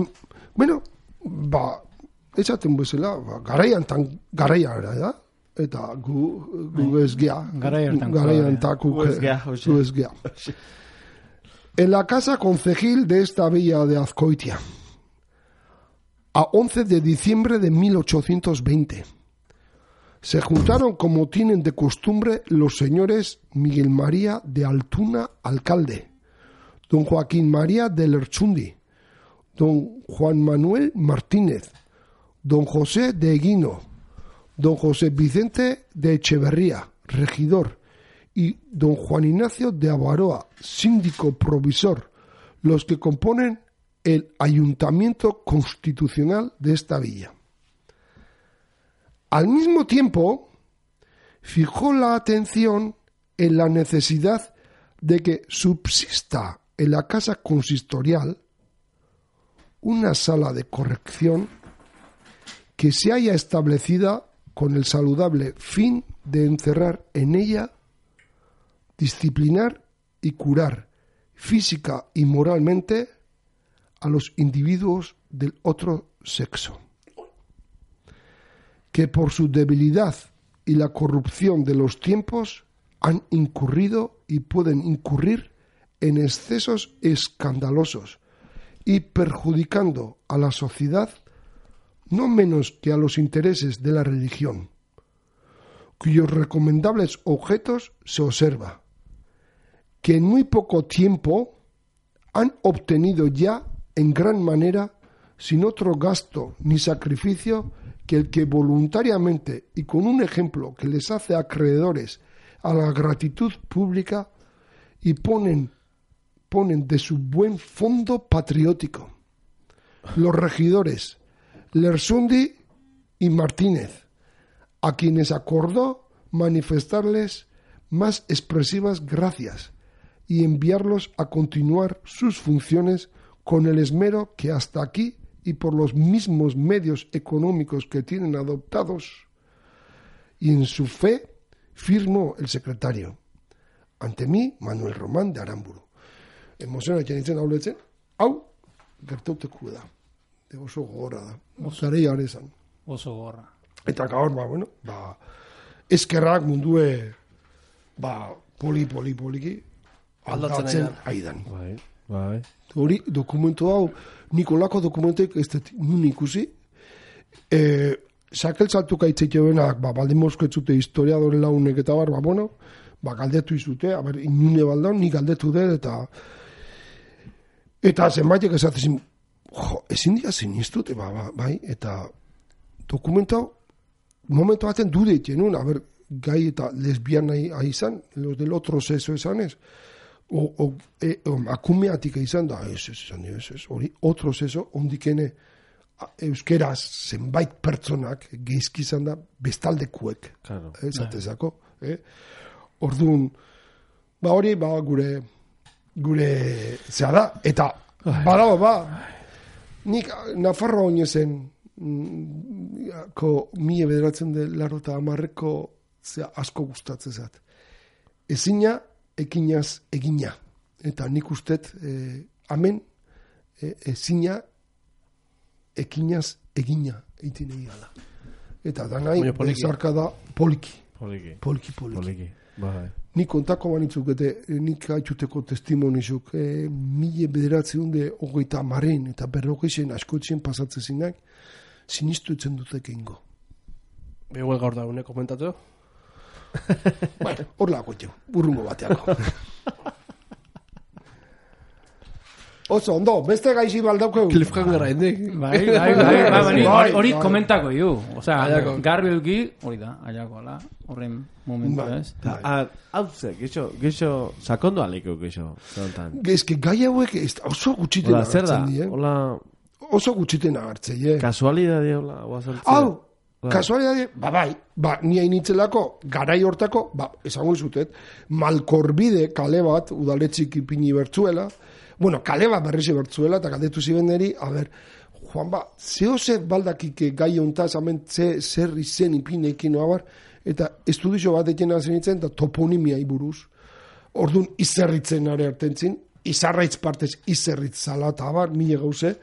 bueno, ba, esaten bezala, ba, garaian tan, garaiara da, eta gu, gu ez gea. Garaian taku. Gu ez gea. En la casa concejil de esta villa de Azcoitia, a once de diciembre de mil ochocientos veinte, se juntaron como tienen de costumbre los señores Miguel María de Altuna, alcalde, don Joaquín María de Lerchundi, don Juan Manuel Martínez, don José de Eguino, don José Vicente de Echeverría, regidor, y don Juan Ignacio de Avaroa, síndico provisor, los que componen el ayuntamiento constitucional de esta villa. Al mismo tiempo, fijó la atención en la necesidad de que subsista en la casa consistorial una sala de corrección que se haya establecida con el saludable fin de encerrar en ella, disciplinar y curar física y moralmente a los individuos del otro sexo, que por su debilidad y la corrupción de los tiempos han incurrido y pueden incurrir en excesos escandalosos y perjudicando a la sociedad no menos que a los intereses de la religión, cuyos recomendables objetos se observa que en muy poco tiempo han obtenido ya en gran manera, sin otro gasto ni sacrificio que el que voluntariamente y con un ejemplo que les hace acreedores a la gratitud pública y ponen, ponen de su buen fondo patriótico los regidores Lersundi y Martínez, a quienes acordó manifestarles más expresivas gracias y enviarlos a continuar sus funciones con el esmero que hasta aquí y por los mismos medios económicos que tienen adoptados, y en su fe firmó el secretario. Ante mí, Manuel Román de Aramburu. Emozionak janitzen hauletzen, hau, gertauteku da. De oso gogorra da. Zarei arezan. Oso gorra. Eta gaur, ba, bueno, ba, eskerrak mundue, ba, poli, poli, poliki, aldatzen aidan. Bai, bai. Hori, dokumentu hau, Nikolako dokumentek ez dut nun ikusi, e, sakeltzatuka itzeite benak, ba, baldin moskoetzute historiadore launek eta bar, ba, bueno, ba, galdetu izute, aber, inune baldan, ni galdetu dut, eta eta zenbaitek esatzen, jo, ezin dira zinistut, ba, ba, bai, eta dokumentu hau, momentu baten dude itxenun, aber, gai eta lesbiana izan, los del otro sexo esanez, o, o, e, o akumeatik izan da, ez, ez, ez, ez, hori, otro sexo, ondikene euskeraz zenbait pertsonak geizki izan da bestaldekuek, claro. eh, zatezako, eh? Orduan, ba hori, ba gure, gure, zea da, eta, badago, ba, nik Nafarroa oinezen, ko mila bederatzen de laro eta amarreko zea asko gustatzen zat. Ezina, ekinaz egina. Eta nik ustet, eh, amen, eh, ezina, ekinaz egina eitin egala. Eta da nahi, bezarka da poliki. Poliki. Poliki, poliki. Poliki. Bai. Nik kontako banitzuk, eta nik haitxuteko testimonizuk, eh, mila bederatzen de hogeita maren, eta berrogeixen askotzen pasatzen zinak, sinistu etzen dutek ingo. Igual gaur da, une komentatu? Bueno, hor lako txeu, burrungo bateako. Oso, ondo, beste gaixi baldaukeu. Cliffhangera indik. Bai, bai, bai, bai, bai, hori- hori bai. komentako ju. Osea, Aiako. garbi eduki, hori da, aiakoala, horren momentu Bai. ez. Hau ze, gixo, gixo, sakondo aliko gixo, zontan. Eske gai hauek ez- oso gutxiten Hola, zer da? agertzen die. Hola, Oso gutxiten agertzen, eh? kasualidade, hola, guazaltzea. Hau, Bai. kasualidade, ba bai, ba, ni hainitzelako, garai hortako, ba, esango zutet, malkorbide kale bat, udaletxik ipini bertzuela, bueno, kale bat berrizi bertzuela, eta galdetu ziben neri, a ber, Juan ba, zeo ze baldakike gai hontaz, hemen ze, zer izen ipinekin, abar, eta estudizio bat eken hazen nintzen, eta toponimiai buruz. Orduan, izerritzen are hartentzin, izarraitz partez izerritz zala, eta abar, mile gauze,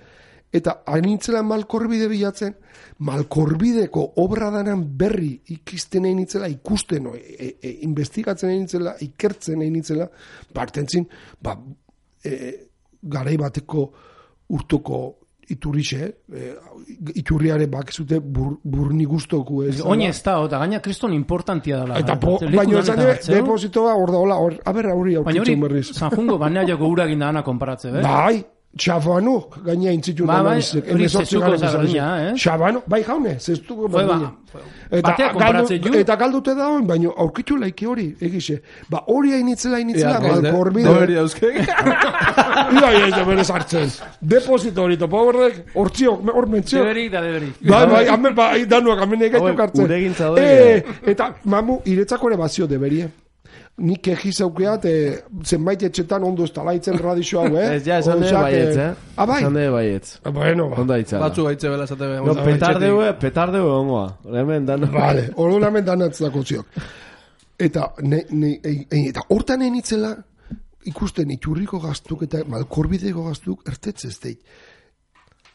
eta hainitzela malkorbide bilatzen, malkorbideko obra danan berri ikisten egin nitzela, ikusten, e, e, e, investigatzen egin nitzela, ikertzen egin nitzela, partentzin, ba, e, garai bateko urtuko iturrixe, e, iturriare bakizute bur, burni guztoku ez. Oin ez da, eta gaina kriston importantia dela. Eta po, Leku baino lanetan esan hartzeu. depositoa hor da, hola, hor, a ber, hori Baina hori, aurkitzen berriz. Sanjungo banea joko urakin da ana konparatze, eh? Bai, Xabano, gaina intzitun Ba, bai, analizek, hori hemezortzi zezuko garren berdina, izan. eh? Xabano, bai jaune, zestuko Fue, ba, berdina. Eta, batea konparatzen galdu, ju. eta galdute da hon, baino aurkitu laiki hori, egixe. Ba, hori hainitzela, hainitzela, Ea, malkorbide. Doveri dauzkek. Ia, ia, ia, berez hartzen. Deposito hori, topo horrek, hortzio, hor mentzio. Deberik da deberik. Bai, bai, hamen, bai, danuak, hamen egaitu Hauek, kartzen. uregintza doa, Eh, eta, mamu, iretzako ere bazio deberie. Nik egiz aukeat, eh, zenbait etxetan ondo ez talaitzen radixo hau, eh? Ez, ja, esan dure Osea, baietz, que- eh? Ah, bai? Esan dure baietz. Bueno, ba. Onda itzala. Batzu gaitze bela esate behar. No, petardeu, petardeu ongoa. Hemen, dano. Vale, orduan hemen danatzako ziok. Eta, ne, ne, e, e, eta hortan enitzela, ikusten iturriko gaztuk eta malkorbideko gaztuk ertetzez deit.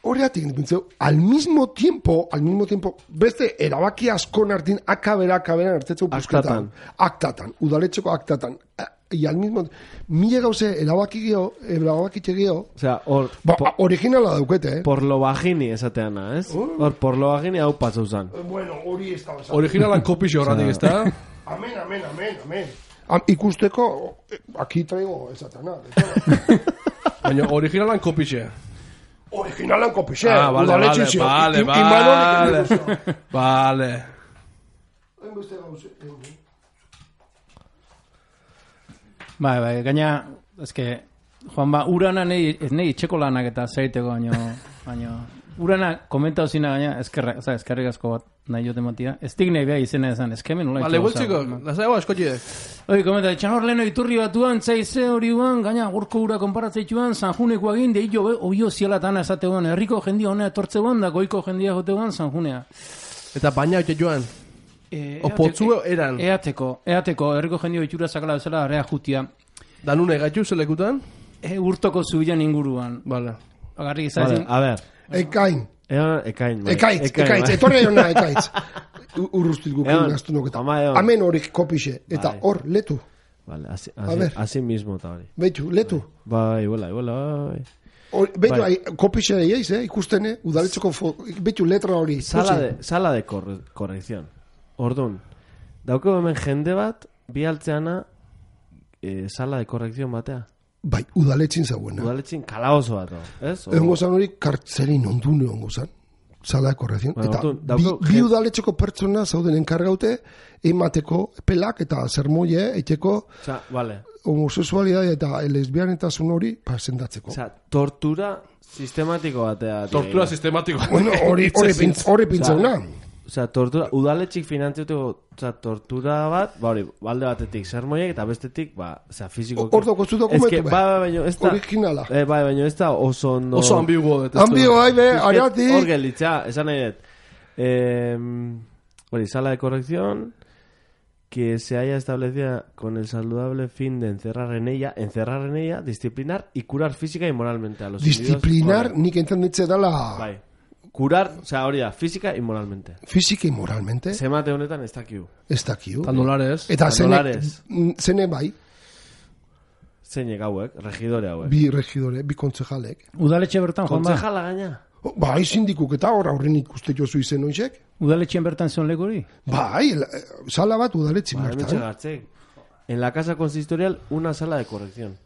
Horreatik nintzen, al mismo tiempo, al mismo tiempo, beste erabaki askon hartin akabera, akabera ertetzeu Aktatan. Aktatan, udaletxeko aktatan. I al mismo, mila gauze erabaki geho, erabaki geho, Osea, hor, ba, po- originala daukete, eh? por lo vagini esateana, ez? Hor, por lo vagini hau pasau zan. Bueno, hori ez da basado. Originalan kopixo horratik, ez da? Amen, amen, amen, amen. Am, ikusteko, eh, aquí traigo esatana. Baina originalan kopixe. Originalan kopixe. Ah, vale, vale, udaletxe zio. vale, I- Imanolik vale. egin Vale. Hainbeste gauze. Bai, bai, gaina, eske, Juan ba, urana nei, ez nei itxeko lanak eta zeiteko, baino, baino, urana komentau zina gaina, eskerra, oza, eskerrik asko bat nahi jote matia, ez dik nahi beha izena esan, eskemen nola Vale, itxeko gueltziko, lasai hau askotxidek. Hoi, komenta, txanor leheno iturri batuan, zaize hori uan, gaina gorko ura konparatzeituan, Sanjuneko egin, de hillo, obio zialatana esateuan, herriko jendia honea etortzeuan, da goiko jendia joteuan, Sanjunea. Eta baina hau joan. E, O potzu eran. Eateko, eateko, herriko jendio itxura sakala bezala, area jutia, Danune gaitu zelekutan? e, urtoko zubilan inguruan. Vale. Agarrik Vale, izazin, a ver. Ekain. Egon, ekain. bai. Ekaitz, Ekain, ekaitz. bai. Etorri hona ekaitz. U- Urrustit gukin Egon, gaztu noketa. ama, egon. Amen horik kopixe. Eta Bai. hor, letu. Vale, así, A así, ver. así mismo eta hori. Beitu, letu. Bai, iguala, iguala, bai. Hor- Beitu, Bai. ai, kopixe deieiz, eh? Ikusten, eh? Udaletxeko, fo- beitu letra hori. Sala Hoxe. de, sala de corre, corrección. Ordun, dauko hemen jende bat, bi altzeana, eh, sala de corrección batea. Bai, udaletxin zauena. Udaletxin kalaoso bat, ez? O- Egongo zan hori kartzelin ondune egongo zan. Sala de corrección. Bueno, Eta orduan, bi, dauko bi gen- udaletxeko pertsona zauden enkargaute emateko pelak eta zermoie eiteko Osea, vale. homosexualidade eta lesbianetasun hori pasendatzeko. Osea, tortura sistematiko batea. Tortura sistematiko. Bueno, hori hori pintz, hori pintzauna. Osea, tortura, udaletxik finantziatuko, osea, tortura bat, ba hori, balde batetik sermoiek eta bestetik, ba, osea, fiziko. Hor daukazu dokumentu, Ez que, be. ba, ba, baino, ez da, Originala. eh, bai, baino, ez da oso ondo. Oso ambiguo detestu. Ambio, bai, be, Es que Hor ariatik. gelditzea, esan nahi dut. Eh, hori, sala de corrección que se haya establecida con el saludable fin de encerrar en ella, encerrar en ella, disciplinar y curar física y moralmente a los individuos. Disciplinar, Hori, nik entendetze dala Bai. Curar, o sea, hori da, física y moralmente. fizika y moralmente, Zemate honetan ez dakiu. ez dakiu. Tandolares. Eta zene, Tandolares. mm, zene bai, Zeinek hauek, regidore hauek. bi regidore, bi kontzejalek. udaletxe bertan, Juan ba, Kontzejala gaina. O, Bai, sindikuk eta hor aurren ikuste jozu izen oizek. udaletxean bertan zion leku hori? Bai, la- sala bat udaletxin Ba, hementxe bertan. gartzek. En la casa consistorial, una sala de corrección.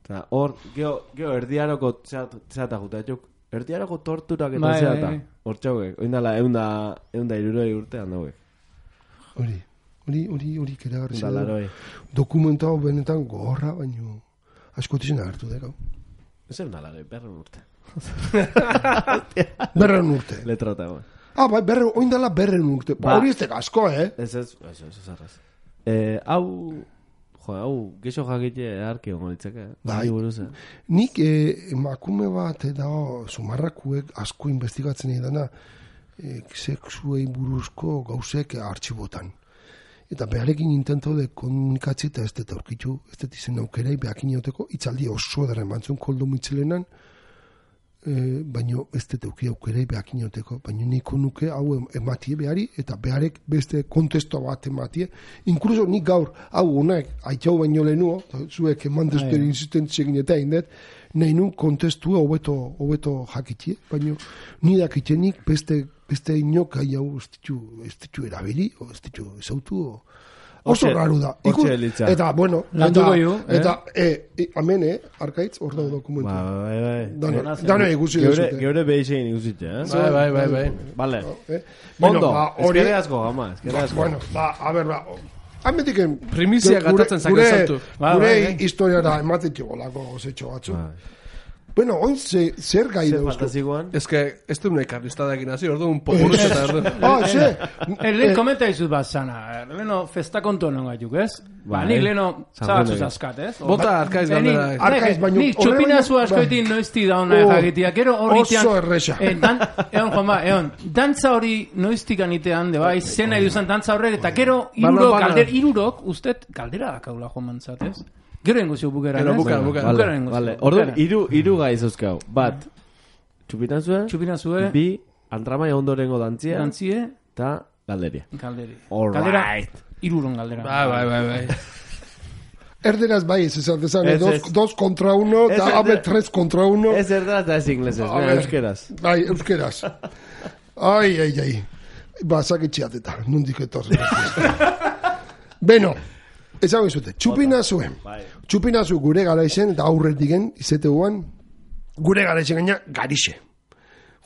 Eta hor, geho, geho erdiaroko txata juta, erdiaroko torturak eta Bai, zeata. bai. Hor txauek, oindala eunda, eunda iruroi urtean dauek. Hori, hori, hori, hori keragarri Da laroi. dokumentau benetan gorra, baino askotizena hartu dekau. Ez eunda laroi, berren urte. Berren urte. Letrata, bai. Ah, bai, berren, oindala berren urte. Ba, Ba. hori ez dek asko, eh? Ez ez, ez ez, ez arraz. Eh, hau, jo, hau, geixo jakite arki ongo ditzake, eh? Bai. Hori buruz, eh? Nik eh, emakume bat da sumarrakuek asko investigatzen edana eh, sexuei buruzko gauzek artxibotan. Eta beharekin intento de komunikatzi eta ez dut aurkitu, ez dut izen aukerei behakin jauteko, itzaldi oso edaren bantzun koldo mitzelenan, eh, baino ez dut auki aukerei behakin jauteko, baino niko nuke hau em- ematie behari, eta beharek beste kontesto bat ematie, inkluso nik gaur, hau honek, aitau baino lehenuo, zuek eman dezuten insistentziegin eta indet, nahi nun kontestua hobeto hobeto jakitie, baino ni dakitenik beste beste inok gai hau ez ditu, ez ditu erabili, o ez ditu ezautu, o... oso Hortxe- raru da. hortxe Ikus- elitza. eta, bueno, Landuko eta, ju, eh? eta e, e, amen, eh, arkaitz, hor dago dokumentu. Ba, bai, bai. Dano, dano ikusi Geure, dezute. geure behixein ikusitxe, eh? Bai, bai, bai, bai. Vale. Eh? Ondo, Bueno, ba, hori- ezkerre asko, gama, ezkerre Ba, asko. bueno, ba, a ber, ba, Hametiken Primizia gure- gatatzen zake gure- saltu. Ba, Gure bai, bai. historiara ematetxo golako zetxo batzu. Bai. Bueno, oin ze, zer gai Zer dauzko? fantazikoan? Ez que, ez du nahi karlistadekin hasi, orduan popuruz eta orduan. Ah, ze? Erlen komenta izut bat zana. Leno festa kontu honen gaituk, ez? Ba, Bai. nik leno San zabatzuz Juanek. askat, ez? Bota arkaiz Eh, nik- galdera. Arkaiz, baino- Nik horre txupinazu baino- askoitin noizti da hona Oh, jakitia. Gero horritian... oso erresa. Eh, dan, egon, Juanma, egon. Dantza hori noiztik anitean, de bai, zena iduzan dantza horrek, eta gero irurok, bana. galder, irurok, ustet, galdera dakaula joan mantzat, ez? Gero ingo zio bukeran, Gero ez? buka, buka. Bukeran Vale, ingo vale. zio, Orduan, bukeran. iru, iru gai zuzkau. Bat, txupitanzue, Txupinazue, bi, antramai ondorengo dantzia, dantzie, eta galderia. galderi. All Galdera, right. iruron galdera. Bai, bai, bai, bai. Erderaz bai, ez esan dezan, Ez, dos, ez. dos kontra uno, Ez, eta ez, abe ez. tres kontra uno. Ez erderaz da ez inglesez, A ne, ver. euskeraz. Bai, euskeraz. Ai, ai, ai. Ba, saketxeateta, nondik etorri. Beno, ezagun zute, txupina zuen. Bai. Txupina zu gure garaizen, eta aurretiken, izateuan, gure garaizen gaina garixe.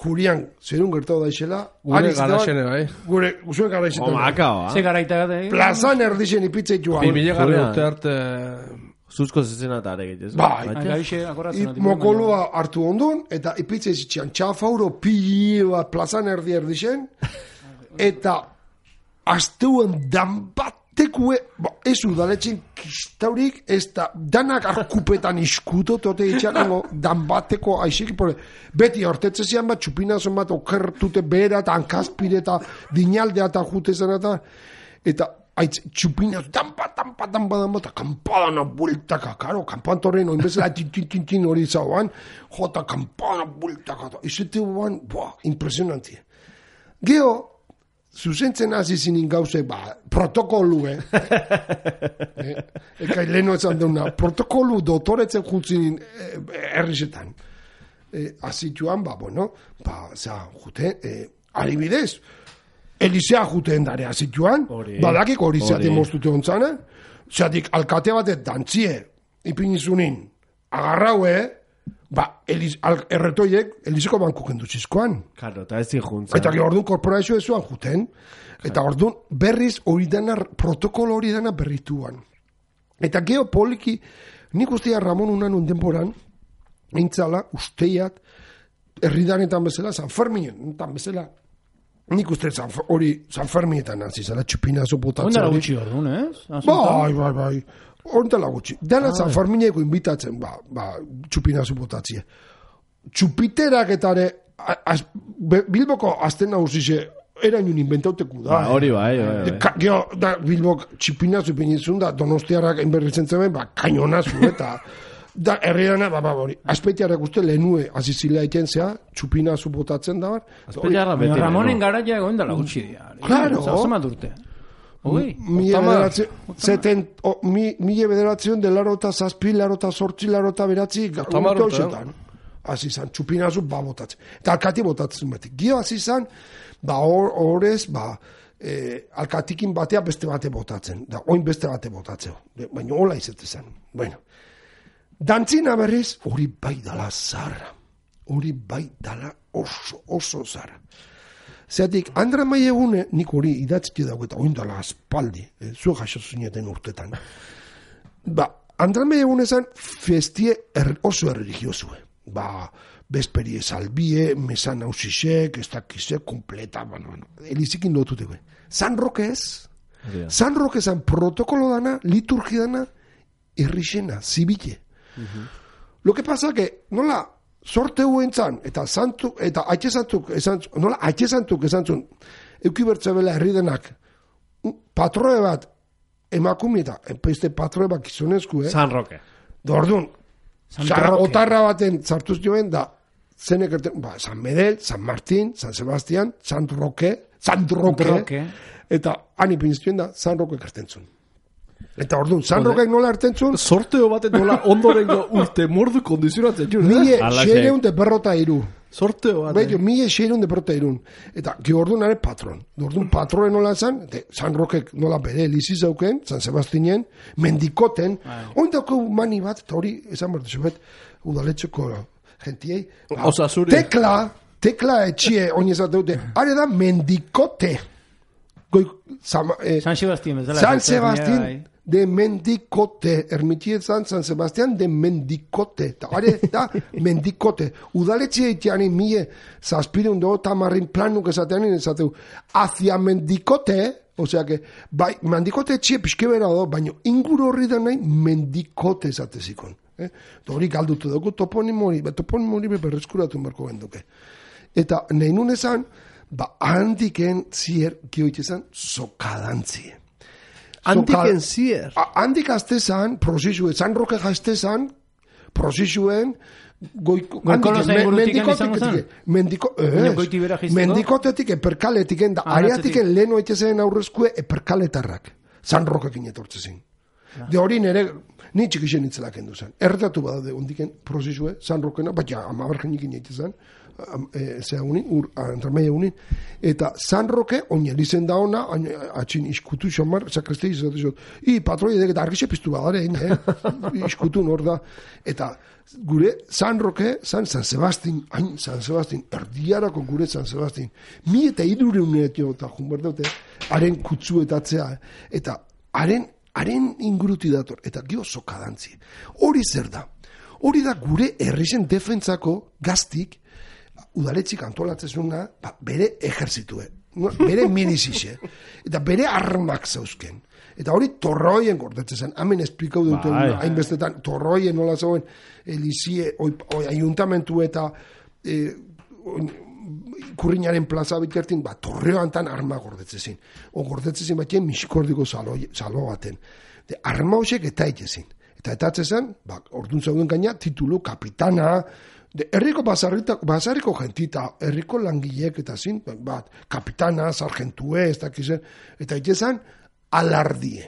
Jurian, zerun gertau daixela, Gure ari zitean, garaxene, bai. Gure, zuen garaizen. Omakao, Ze ha? garaita gade, eh? Plazan erdixen ipitzeitua. Bi mila garri Julian. urte arte... Zuzko zezena eta arek ez? Bai. Ah, Gaixe, akorratzen. I, ati, mokolua hartu ondun, eta ipitze zitxean txafauro pili bat plazan erdi erdixen, eta asteuan danbatekue, ba, ez udaletxen kistaurik, ez da danak arkupetan iskuto, tote itxakango danbateko aixik, pore, beti hortetze zian bat, txupinazon bat okertute behera, eta hankazpire, eta dinaldea eta jute zen, eta, eta aitz, txupinaz, danpa, danpa, danpa, danpa, eta kampadana bueltaka, karo, kampantorren, oin bezala, tintintintin hori zauan, jota, kampadana bueltaka, eta izute guan, boa, impresionantia. Geo, zuzentzen hasi zinin gauze, ba, protokolu, eh? eh? Eka leheno esan deuna, protokolu dotoretzen jutzinin eh, errizetan. Eh, azituan, ba, bueno, ba, za, jute, eh, adibidez, Elisea juten dare azituan, Hori. badakik hori zeaten Hori. moztute ontzana, zeatik alkate batet dantzie, ipinizunin, agarraue, ba, Elis, al, erretoiek, Eliseko banku kendu zizkoan. Karo, eta ez zijuntza. Eta gero orduan korporazio ezuan juten. Eta orduan berriz hori dana, protokolo hori dana berrituan. Eta gero poliki, nik ustea Ramon unan denboran, eintzala, usteiat, herridanetan bezala, San Ferminetan bezala, nik uste San, hori San Ferminetan nazi zela, txupinazo botatzen. Ondara hori. gutxi orduan, ez? Bai, bai, bai. Ondela gutxi. Dana San Fermineko invitatzen, ba, ba, txupinazu botatzie. Txupiterak eta ere, a- az- be- Bilboko azten nagusize, erainun inventauteku da. Ba, hori bai, bai, De, bai. ka, geho, da, Bilbok txupinazu pinizun da, donostiarrak enberritzen zemen, ba, kainonazu, eta da, herriana, ba, ba, hori, azpeitiarrak uste lehenue, azizilea iten zea, txupinazu botatzen da, bar. Azpeiarra beti. Ramonen no? garaia egon dela gutxi dira. Claro. Zamat urte. Hogei. Mila Otama. bederatzi, zeten, o, mi, mila bederatzion de laro eta zazpi, laro eta sortzi, laro eta beratzi, Otama urte urte, hoxetan. Hasi zan, txupinazu, ba, botatzen. Eta alkati botatzen beti. Gio hasi zan, ba, hor, horrez, ba, eh, alkatikin batea beste bate botatzen. Da, oin beste bate botatzeo. De, baina hola izetzen zen. Bueno. Dantzina berriz, hori bai dala zarra. Hori bai dala oso, oso zarra. Zeratik, Andra Maiegune, nik hori idatzki dago eta oindala aspaldi, eh, zu jaso zineten urtetan. Ba, Andra Maiegune zan festie er, oso erreligiozue. Ba, besperie salbie, mesan hausisek, ez dakizek, kompleta, bueno, bueno, elizikin dotuteko. San Roque ez, yeah. San Roque zan protokolo dana, liturgia dana, errixena, zibile. Uh-huh. Lo que pasa que, nola, sorte huen zan, eta santu, eta aitxezantuk, esan, nola, aitxezantuk esan zun, eukibertzabela herri denak, patroe bat, emakumita, este patroe bat gizonezku, eh? San Roque. Dordun, otarra baten zartuz joen, da, zenek erten, ba, San Medel, San Martín, San Sebastián, San Roque, San Roque, Roque. Eta han ipinztuen da, San Roque ertentzun. Eta orduan, San Roque nola ertentzun? Sorteo baten nola ondorengo urte mordu kondizionatzen jure. Mie xereun de berrota iru. Sorteo baten. Beio, mie xereun de berrota irun. Eta, ki orduan are patron. Orduan, patroen nola zan, de San Roque nola bere lizi zauken, San Sebastián, mendikoten, oindako mani bat, eta hori, esan bertu zubet, udaletxeko gentiei. Osa zure. Tekla, tekla etxie, oinezat dute, are da mendikote. Goi, sama, eh, San Sebastián, San Sebastián de mendikote, ermitietzan San Sebastián de mendikote, eta are da mendikote. Udaletxe eitean mie, zazpireun do, tamarrin planuk esatean, esateu, hacia mendikote, osea que, bai, mendikote etxie pixkebera do, baina inguru horri da nahi mendikote esatezikon. Eh? Hori galdutu dugu toponimori, toponimori berreskuratu berko genduke. Eta nahi nun esan, ba, handiken zier, gioitezan, sokadantzie. Handiken zier? Handik aztezan, prozizue, San Roque jaztezan, prozizuen, mendikotetik eperkaletik, da areatik leheno etxezen aurrezkue eperkaletarrak. San Roquekin etortzezin. De hori nere, ni txikixen itzelak enduzan. Erretatu badaude ondiken prozizue, San Roquena, bat ja, amabargenikin etxezan, zea unin, ur, antrameia unin, eta San Roque, oine lizen da ona, atxin iskutu xomar, sakristei izate zot, i patroi edek eta argixe piztu badare, eh? Iskutu nor da, eta gure San Roque, San, San Sebastián, hain San Sebastián, erdiarako gure San Sebastián, mi eta irureunetio, eta junber daute, haren kutsuetatzea, eta haren, haren inguruti dator, eta gio sokadantzi. Hori zer da? Hori da gure herrisen defentsako gaztik, udaletxik antolatzezuna, ba, bere ejerzitue, bere milizixe, eta bere armak zauzken. Eta hori torroien gordetzen, hemen esplikau duten, hainbestetan, torroien nola zauen, elizie, oi, oi, ayuntamentu eta e, kurriñaren plaza bikertin, ba, torreoan tan arma gordetzen. O gordetzen batien misikordiko salo, salo baten. De, arma horiek eta itezin. Eta etatzen, ba, orduan zauden gaina, titulu kapitana, de herriko basarriko gentita, herriko langilek eta zin, bat, kapitana, sargentue, ez dakizen, eta itezan, alardie.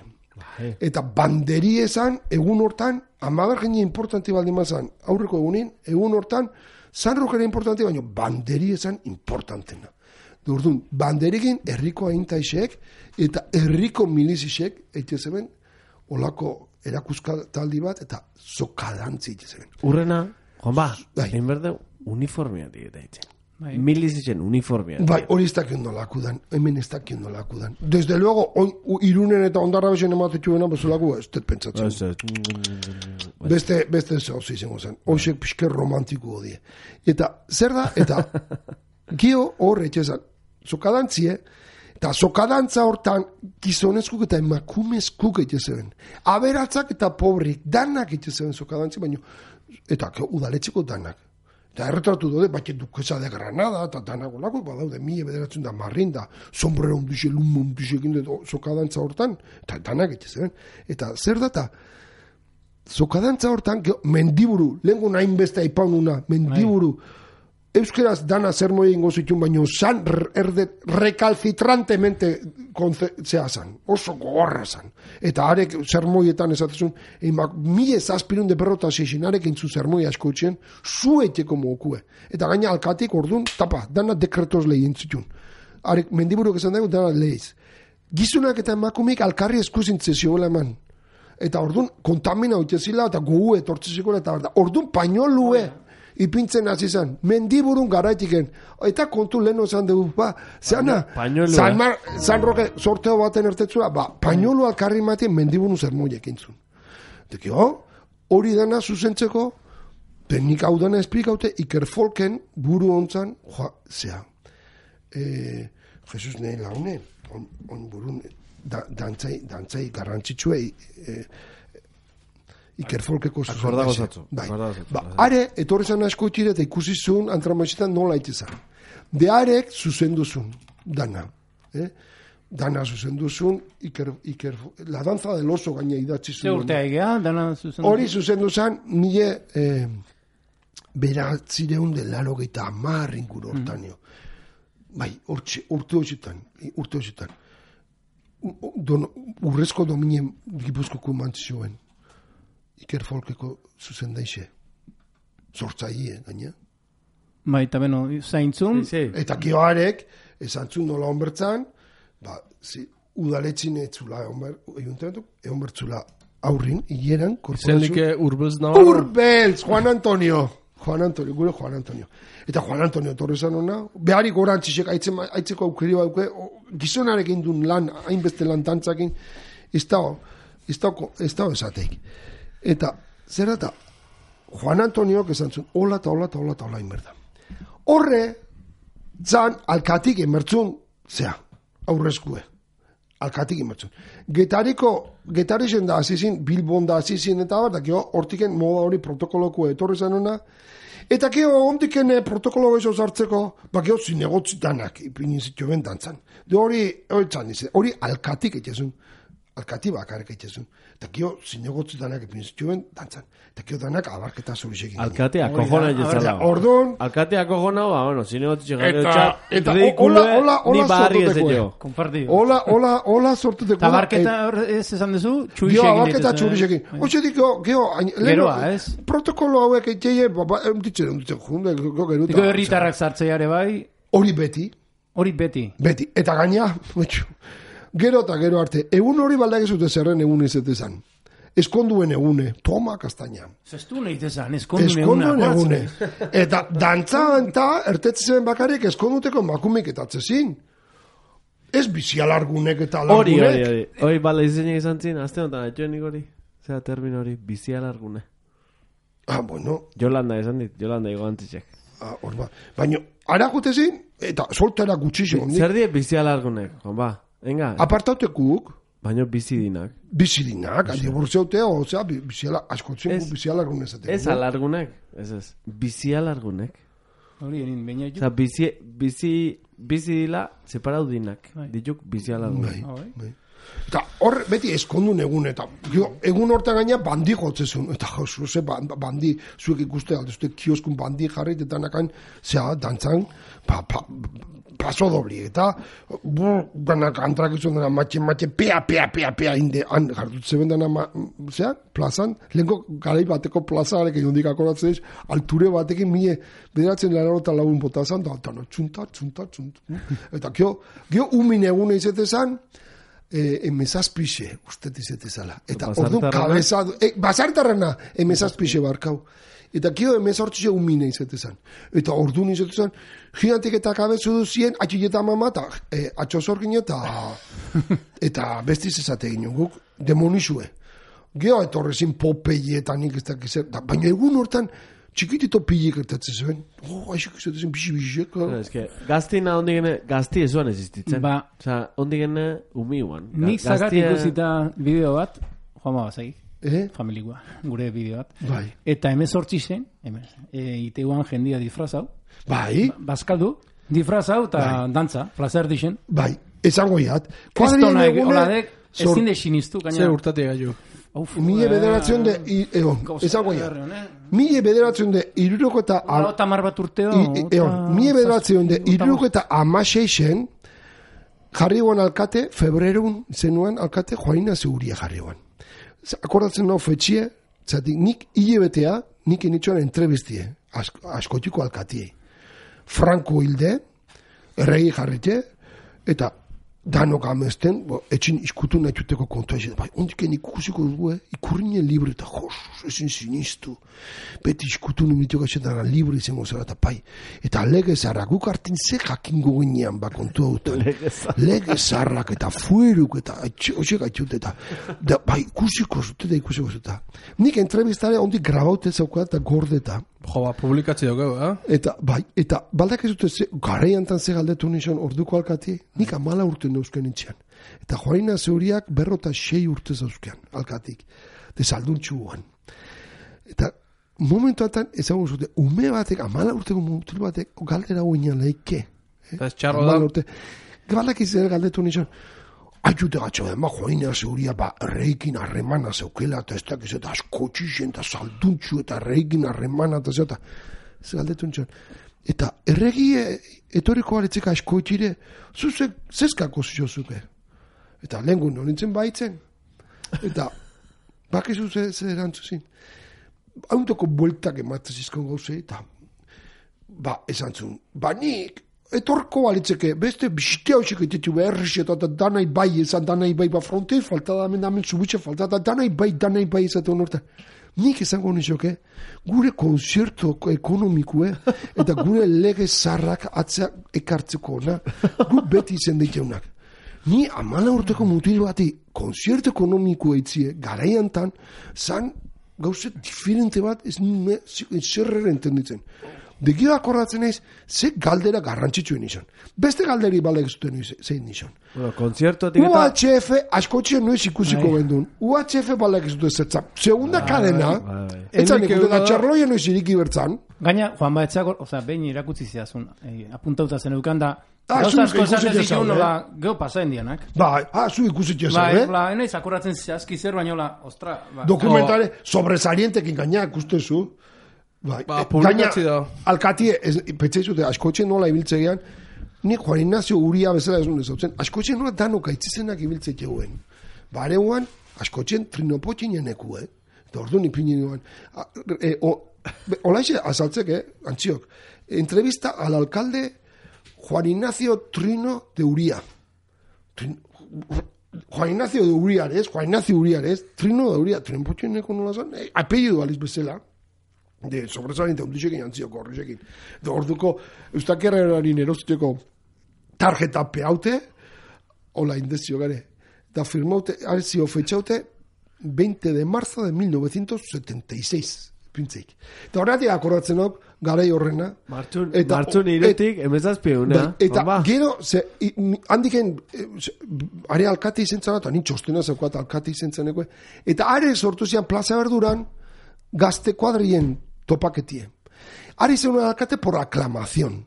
Eta banderie zan, egun hortan, amagar genie importanti baldin mazan, aurreko egunin, egun hortan, San Roquera importanti, baina banderie zan importantena. Dordun, banderikin herriko aintaixek, eta herriko milizisek, eitezeben, olako erakuska taldi bat, eta zokadantzi eitezeben. Urrena, Juan ba, egin berde uniformea digeta itzen. Milizitzen uniformea. Bai, hori ez dakien nolakudan, hemen ez dakien nolakudan. Desde luego, on, irunen eta ondarra besen ematetxuena, bezalaku, ez dut pentsatzen. Beste, beste zauzi izango zen. Hoxek pixke romantiko hodie. Eta, zer da, eta, gio hor etxezan, zokadantzie, eta zokadantza hortan, gizonezkuk eta emakumezkuk etxezeben. Aberatzak eta pobrik, danak etxezeben zokadantzi, baina, eta udaletxeko danak. Eta erretratu dode, baina dukesa de Granada, eta danak olako, badaude, mila bederatzen da marrinda, sombrero onduxe, lumo onduxe, zokadantza hortan, eta danak etxezeben. Eta zer data, zokadantza hortan, mendiburu, lehenko nahin beste aipaununa, mendiburu, euskeraz dana zer moi ingo zitun, baina zan erdet recalcitrantemente zea zan, oso gogorra zan. Eta arek zer moietan esatezun, mile zazpirun de perrota zizin, arek intzu zer moi asko etxen, zueteko mokue. Eta gaina alkatik orduan, tapa, dana dekretoz lehien zitun. Arek mendiburuk esan dago, dana lehiz. Gizunak eta emakumik alkarri eskuzintze zioela eman. Eta orduan kontamina utezila, eta gogu etortzizikola, eta orduan painolue, ipintzen hasi zen, mendiburun garaitiken, eta kontu lehen ozan dugu, ba, zeana, San, Mar, San Roque sorteo baten ertetzua, ba, painolu alkarri matien mendiburun zermoiek intzun. Dekio, hori dena zuzentzeko, teknika hau dena esplikaute, Iker Folken buru ontzan, joa, zea, e, Jesus nahi laune, on, on burun, da, dantzai, dantzai garrantzitsuei, e, Iker Folkeko zuzen. Bai. Ba, are, etorri zan asko itxire eta ikusi zuen antramoizetan nola itezan. De arek zuzendu zuen, dana. Eh? Dana zuzendu zuen, Iker, Iker, la danza del oso gaina idatzi zuen. Ze urtea egea, dana zuzendu. Hori zuzendu zan, nire eh, beratzireun de laro geita amar inguru hortanio. Mm. Bai, urte horietan, urte horietan. Don, urrezko dominen Gipuzkoko mantzioen. Iker Folkeko zuzen daixe. Zortzaie, gaina. Bai, eta beno, zaintzun. Eta kioarek, esantzun nola onbertzan, ba, zi, udaletxin etzula, egon bertzula aurrin, hieran, korporazio. Zenlike urbelz nabarra. Urbelz, Juan Antonio. Juan Antonio, gure Juan Antonio. Eta Juan Antonio torre zan hona, beharik orantxisek, aitzeko aukeri bauke, gizonarekin duen lan, hainbeste lan tantzakin, ez dago, ez dago, ez dago esateik. Eta, zer eta, Juan Antonio, esan zuen, hola eta hola eta hola eta hola inberda. Horre, zan, alkatik emertzun, zea, aurrezkue. Alkatik emertzun. Getariko, getarixen da azizin, Bilbon da azizin, eta bar, da kio, hortiken moda hori protokoloko etorri zen hona, eta kio, ondiken protokolo gehiago zartzeko, ba kio, zinegotzitanak, ipinin zitu ben dantzan. De hori, hori txan, hori alkatik etxezun. Alkati bakarrik eitezun. Eta kio, zinegotzu danak epin zituen, dantzan. Eta kio danak abarketa zurisekin. Alkati akojona jezala. Orduan. Alkati akojona, ba, bueno, zinegotzu txegarri eta, eta, hola, hola, hola sortutekoe. Compartido. Hola, hola, hola sortutekoe. Eta abarketa ez esan dezu, txurisekin. Gio, abarketa txurisekin. Oxe diko, gio, geroa, ez? Protokolo hauek eitzeie, ditzen, ditzen, junde, gero geruta. Diko herritarrak zartzeiare bai. Hori beti. Hori beti. Beti. Eta gaina, gero eta gero arte, egun hori baldak ezute zerren egun izatezan. Eskonduen egune, toma kastaina. Zestu nahi tezan, eskonduen egune. egune. Eta dantza eta ertetzen bakarrik eskonduteko makumik eta atzezin. Ez bizialargunek eta largunek. Hori, hori, hori. Hori, bala izenek izan zin, azte honetan, etxoenik hori. Zera termino hori, bizialargune. Ah, bueno. Jolanda esan dit, Jolanda igo antzitxek. Ah, hor ba. Baina, ara jutezin, eta soltera gutxixo. Zer die bizialargunek, hon ba. Enga. Apartautekuk. Baina bizidinak. Bizidinak, dibortzeutea, ozea, biziala, askotzen gu bizialargun ezatek. Ez alargunek, ez ez. Bizialargunek. Hori, erin, baina juk. Oza, bizi, bizi, bizi dila, separau dinak. Dituk bizialargunek. Bai, bai. Eta hor, beti eskondun egun, eta jo, egun hortan gaina bandi jotzezun, eta jo, ze bandi, zuek ikuste, alduzte kioskun bandi jarrit, eta nakan, zea, dantzan, pa, pa, paso dobli, eta bu, ganak antrak izan dena, matxe, matxe, pea, pea, pea, pea, inde, han, jartutze bendana, zea, plazan, lehenko garai bateko plazaarek egin hondik akoratzen ez, alture batekin mie, bederatzen laro eta lagun botazan, da, eta no, txunta, txunta, txunta, eta gio, gio umin egune izetezan, Eh, emezazpixe, ustet izetezala. Eta orduan kabezadu, eh, basartarrana, emezazpixe barkau. Eta kio emezortzixe umine izetezan. Eta orduan izetezan, gigantik eta kabezu duzien, atxileta mama, eta eh, atxozorgin eta eta bestiz ezate ginen, guk demonizue. Geo etorrezin popeietan nik ez dakizer, baina egun hortan, txikitito pilik ertatzen zuen. Oh, aixik izatezen, bixi-bixik. Ez que, gaztina ondi gene, gazti ezuan existitzen. Ba. Osa, ondi gene umiuan. Nik zagat ikusita bideo bat, Juanma Bazagik, eh? familikoa, gure bideo bat. Bai. Eta emezortzi zen, e, iteuan jendia disfrazau. Bai. Bazkaldu, disfrazau eta bai. Dantza, plazer dixen. Bai, esango iat. Kristona holadek, ezin de sinistu. Zer urtate gaiu. Mille bederatzen de, egon, esango iat. Mille bederatzen de, iruroko eta... Eta mar bat urteo. Egon, mille bederatzen de, iruroko eta amaseixen, jarri guan alkate, febrerun zenuen alkate, Juanina Seguria jarri guan. Akordatzen nau fetxie, zatik nik hile betea, nik initxoan entrevistie, askotiko alkatie. Franco hilde, erregi jarrite, eta danok amesten, bo, etxin iskutu nahi juteko kontua esan, bai, ondiken ikusiko dugu, eh? Ikurrinen libre eta jos, ezin sinistu. Beti iskutu numitio gaxetara libre izango zara eta pai. Eta lege zarrak, guk hartin ze jakingo ginean ba kontua dutan. Lege zarrak eta fueruk eta hoxe gaitut eta da, bai, ikusiko zute da ikusiko zute. Nik entrevistare ondik grabaute zaukat eta gordeta. Jo, ba, publikatzi dugu, eh? Eta, bai, eta baldak ez dute, ze, garaiantan ze galdetu nizan orduko alkati, nik amala urte neuzken intzian. Eta Joaina Zeuriak berrota sei urte zauzkean, alkatik. De salduntxu guan. Eta momentuatan ezagun zute, ume batek, amala urteko mutil batek, galdera guinan leike. Eh? Eta ez txarro da. Urte. Baldak ez galdetu nizan, aiute gatxo da, ma Joaina Zeuria ba reikin harremana zeukela, eta ez dakiz, eta askotxixen, eta salduntxu, eta reikin harremana, eta zeta, ez galdetu nizan. Eta erregie, etoriko baletzeka askoitxire, zuzek, zezkako ziozuke. Eta lehen gun honintzen baitzen. Eta, bakizu ze, ze erantzuzin. Hauntoko bueltak ematzen zizkon gauzei, eta, ba, esan zuen, ba nik, etorko balitzeke, beste bistea hoxek etetu beharriz eta danai bai ezan, danai bai ba frontez, falta da hemen hemen zubitxe, falta da danai bai, danai bai ezatu honorta. Nik esango nizoke, gure konzerto ekonomikue eta gure lege zarrak atzea ekartzeko ona, gu beti izen diteunak. Ni amala urteko mutil bati konzerto ekonomikoa itzie, garaiantan, zan gauze diferente bat ez nime zerrera entenditzen. Degio akordatzen naiz, ze galdera garrantzitsuen izan. Beste galderi balek zuten zein izan. Bueno, konzertotik U H F askotxean noiz ikusiko gendun. U H F balek zuten zertzan. Segunda kadena, etzan ikutu da txarloien noiz iriki bertzan. Gaina, Juan Baetzako, oza, behin irakutzi zidazun, eh, apuntauta zen eukan da, Ah, gauza zu asko esaten ikusi zituen, jezau, nola, geho pasaen dianak. Bai, ah, zu ikusi txezau, Bai, eh? bla, enaiz akoratzen zazki zer, baina, hola, ostra, ba. Dokumentale, sobresalientekin gaina ikustezu. Bai, Ba, eh, publikatzi gaina, da. alkatie, petxaizute, askotxe nola ibiltzegean, nik Juan Ignacio Uria bezala ez nuen zautzen, askotxe nola danok aitzizenak ibiltze jeuen. Bareuan, askotxen trinopotxinen eku, eh? Eta ordu nipinen nuen. E, Olaixe, azaltzek, eh? Antziok. Entrevista al alcalde Juan Ignacio Trino de Uria. Trin, Juan Ignacio de Uriares, Juan Ignacio Uriares, Trino de Uria, trinopotxineko nola zan, eh, apellido aliz bezala. De sobresaliente ondixekin antzioko horrexekin. De orduko, eustakerrerarin erosteko tarjeta peaute, hola indezio gare, da firmaute, arzio fetxaute, veinte de marzo de mil novecientos setenta y seis, pintzeik. Eta horretik akordatzen hok, garai horrena. Martxun, eta, martxun iretik, emezazpieuna. Eta gero, ze, i, handiken, e, are alkate izentzana, eta nin txostena zeukat alkate izentzaneko, eta are sortu zian plaza berduran, gazte kuadrien topaketie. Ari zen alkate por aclamación.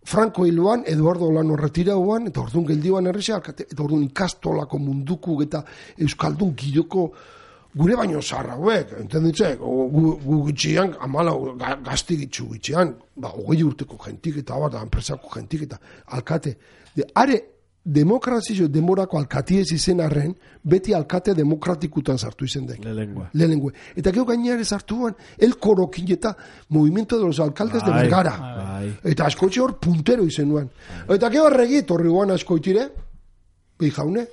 Franco hiluan, Eduardo Olano retirauan, eta orduan geldioan errexe alkate, eta orduan ikastolako munduku eta euskaldun gidoko gure baino zarra hauek, entenditzek, gu, gu gitxian, amala, gazti gitxu gitxian, ba, hogei urteko jentik eta bat, enpresako jentik eta alkate. De, are, demokrazio demorako alkatiez izen arren, beti alkate demokratikutan sartu izen dek. Lehengue. Lehengue. Eta gero gainare sartuan, el korokin eta movimiento de los alcaldes de Bergara. Bai. Eta askotxe hor puntero izen nuen. Eta gero erregi, torri guan askoitire, behi jaune,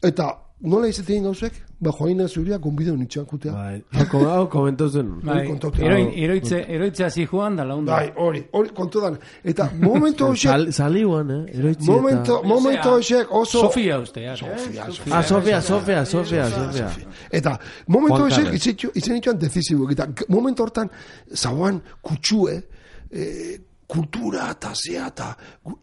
eta nola izatein gauzek, ba Joaina Zeuria gonbideo nitxan kutea. Bai. Hau, hau komentau zen. Bai, eroin, eroitze, eroitzea zijoan da launda. Bai, hori, hori kontu dan. Eta momento hoxek, Sal, saliuan, eh? Eroitzi momento, eta... momento hoxek oso... Sofia uste, ja. Sofia, Ah, Sofia, Sofia, Sofia, Sofia. Eta momento Juan hoxek Carles. izan izan itxuan decisibo. Eta momento hortan, zauan kutsue, eh, kultura eta zea eta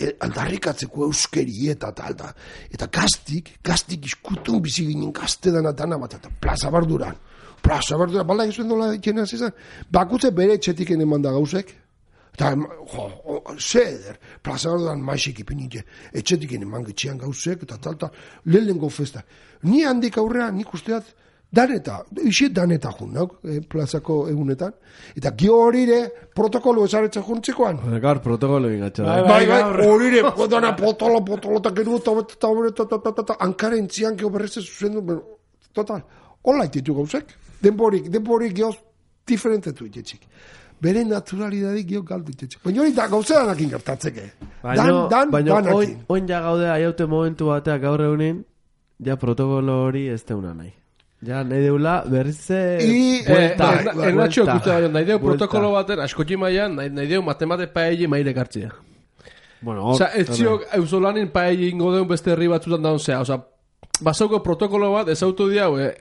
eh, aldarrikatzeko euskeri eta eta eta eta gaztik, gaztik iskutun bizi ginen gaztedan atana bat eta plaza barduran. Plaza barduran, bala egizuen dola ikena zizan. Bakutze bere etxetik eman da gauzek. Eta, jo, o, zeder, plaza barduran maixik ipinite, etxetik eman getxean gauzek eta tal, tal, lehenengo festa. Ni handik aurrea, nik usteat, daneta, isit daneta jun, nauk, eh, plazako egunetan. Eta gio horire protokolo esaretzen juntzekoan. Gaur protokolo ingatxa. Bai, Bai, bai, horire, dana potolo, potolo, eta gero, eta eta eta eta eta hankaren zian geho berrezte zuzendu, total, hola ititu gauzek. Denborik, denborik gehoz diferentetu itetxik. bere naturalidadik gio galdu itxetxe. Baina hori da gauzeranekin gertatzeke. Baina, Dan, dan, baina danakin. oin, oin ja gaude aiaute momentu bateak gaur egunin, ja protokolo hori ez deuna nahi. Ja, nahi deula berrize... I, buelta, eh, bai, Ernatxo buelta, ikuste baina, nahi deu buelta. protokolo baten, askotxi maian, nahi, nahi deu matemate paelle maire kartzia. Bueno, hor... Osa, ez ziok eusolanin paelle ingo deun beste herri batzutan daun zea. Osa, basauko protokolo bat, ez autu diau, eh,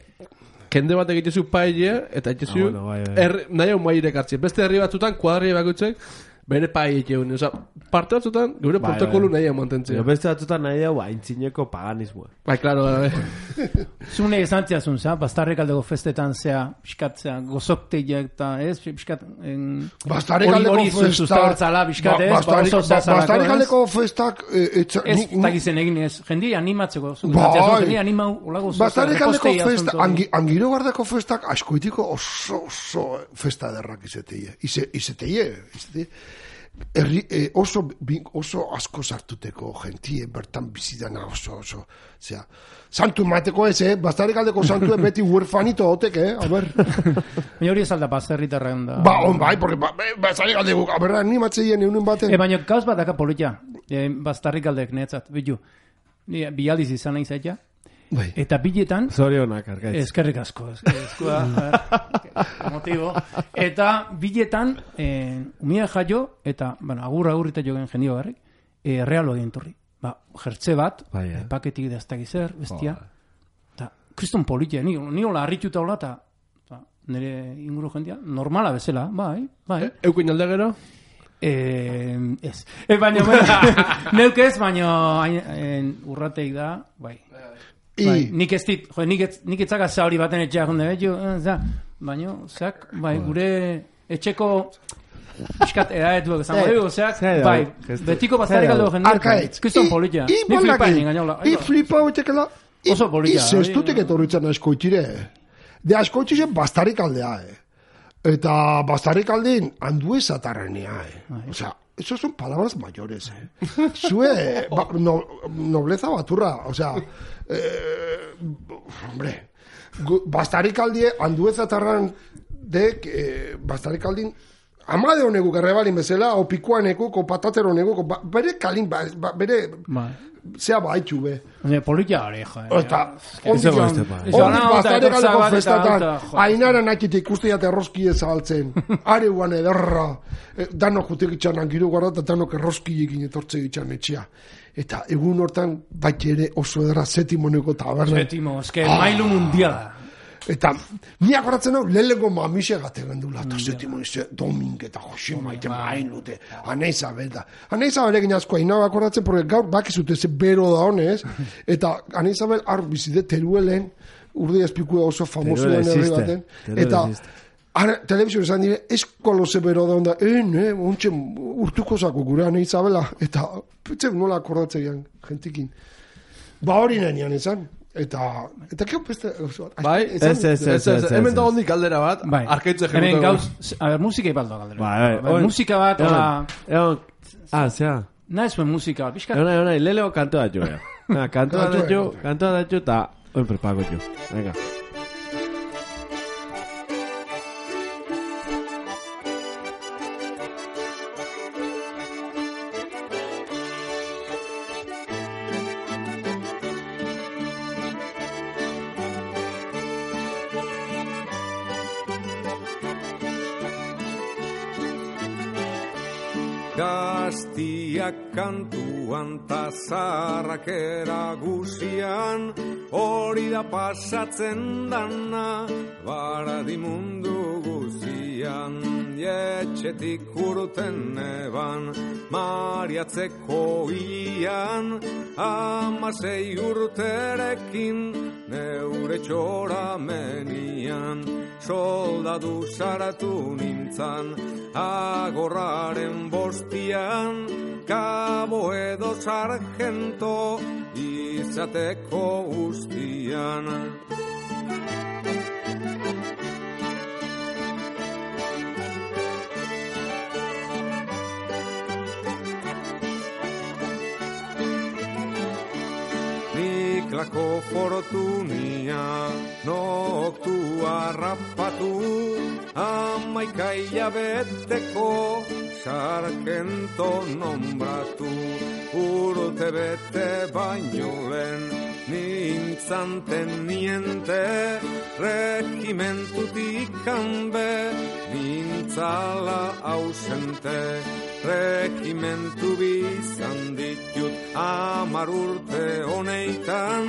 kende bat egitezu paelle, eta egitezu, Ah, bueno, bai, bai. er, nahi hau maire kartzia. Beste herri batzutan, kuadri bakutzek, bere paelle egun. Osa, parte batzutan, gure Bai, protokolo bai. nahi hau mantentzea. Jo beste batzutan nahi dau aintzineko paganismoa. Bai, klaro, bai. Zune esan ziazun, za, bastarrekaldeko festetan zea, pixkatzea, gozoktegiak eta ez, pixkat... en- Bastarrekaldeko hori- hori festa... sustabertzala, pixkat, ez, ba, Bastarik- oso zea zalako, Bastarrekaldeko festak... eh, etza- Ez, ni- takizen egin ez, jendi animatzeko, zuk Bai. zatziazun, jendi animau, olako zoza, Bastarrekaldeko reposteia festa, asunto. angi, angiro gardeko festak askoitiko oso, oso festa derrak izeteie. Ize, izeteie, izeteie. Herri, eh, oso, bi- oso asko sartuteko gentie, bertan bizidana oso, oso, zera, santu mateko ez, eh? Bastarrekaldeko santue beti huerfanito otek, eh? A ber, Baina hori ez alda baserritarren da. ba, on bai, porque ba, bastarrekaldeko, a ber, animatzeien eunen baten. E, baina gauz bat daka politia, e, bastarrikaldek netzat, bitu, ni bialdiz izan nahi zaita, Bai. eta biletan, Zorionak, argaitz. eskerrik asko, es- eskua, a ver, motibo, eta biletan, e, umia jaio, eta, bueno, agur agurrita jogen jendio garri, e, realo egin torri. Ba, jertze bat, Bai, eh. e, paketik daztak izer, bestia, eta, kriston politia, ni, ni hola harrituta hola, eta, eta nire inguru jendia, normala bezala, bai, bai. Eukin alde gero? Eh, ez. E, baina, baina, neuk ez, baina hain- en, urrateik da, bai. I, Bai, nik ez dit, jo, nik ez, nik etzaka zauri baten etxeak jonde, betxo, za, baina, zeak, bai, gure etxeko piskat edaetuak esango Eh, dugu, zeak, zer da, bai, gestu. betiko Zer bastarrik da, aldo jende, arkaitz. kriston I- politia, I ni flipa baldaki. egin gainola, I flipa hoitekela. I- Oso politia, I zestutek hori- etorritzen askoitire. De askoitire bastarrik aldea, eh. Eta bastarrik aldin handuez atarrenea, eh. O sea, eso son palabras mayores, eh. Zue, ba, no, nobleza baturra, o sea, eh, hombre, gu- bastarrik aldie handuez atarran dek, eh, bastarrik aldin amade honegu gerrebalin bezala, o pikuaneku, o patatero honegu, ba, bere kalin, ba, ba, bere, bai. zea baitxu be. Baina, politia hori, jo. Eta, Eso ondik, beste, bai. Eso, ondik ana, bastarrik eta aldeko bat, eta festatan, alta, jo. ainara nakite ikusteat erroski ezabaltzen, areuan ederra, eh, danok jutek itxan angiru gara, eta danok erroski egin etortze itxan etxea. Eta egun hortan, bat ere oso ederra zetimoneko taberna. Betimo, eske, mailu mundiala. Eta, ni akoratzen hau, lehenengo mamise gate gendula, eta zetimon izan, Domink eta Jose Maite mailute, Ana Isabel da. Ana Isabel egin asko, haina akoratzen, porque gaur bakizute ze bero da honez, eta Ana Isabel ar bizide teruelen, urde espikua oso famoso Teruel den herri existe, baten, Teruel eta existe. ara, telebizio esan dire, eskolo ze bero da onda, eh, ne, ontxe urtuko zako gure Ana Isabela, eta, petxe nola akordatzen gian, gentikin. Ba hori nenian esan. Eta, eta keo beste... Bai, Ez, ez, ez, ez, ez. Hemen da hondik galdera bat, Bai. arkaitze Hemen jegutako. gauz, a ber, musika ipaldo galdera. Bai, bai. A ber, Oin- musika bat, hola, Egon, ah, zea. nahi zuen musika bat, pixkat, Egon, egon, leleo kanto da jo, ja. Kanto da Kantua, jo, kantua. kanto da jo, eta oin prepago jo. Venga. Gaztiak kantuan ta zaharrak eragusian, hori da pasatzen dana, baradi mundu guzian. Etxetik urten eban, mariatzeko ian, amasei urterekin, neure txoramenian, soldadu saratu nintzan, agorraren bostian, kabo edo sargento, izateko ustian. Nik ziklako fortunia, noktu harrapatu, amaika hilabeteko sargento nombratu, urte bete baino lehen, nintzan teniente, regimentutik kanbe, nintzala ausente, regimentu bizan ditut amar urte honeitan,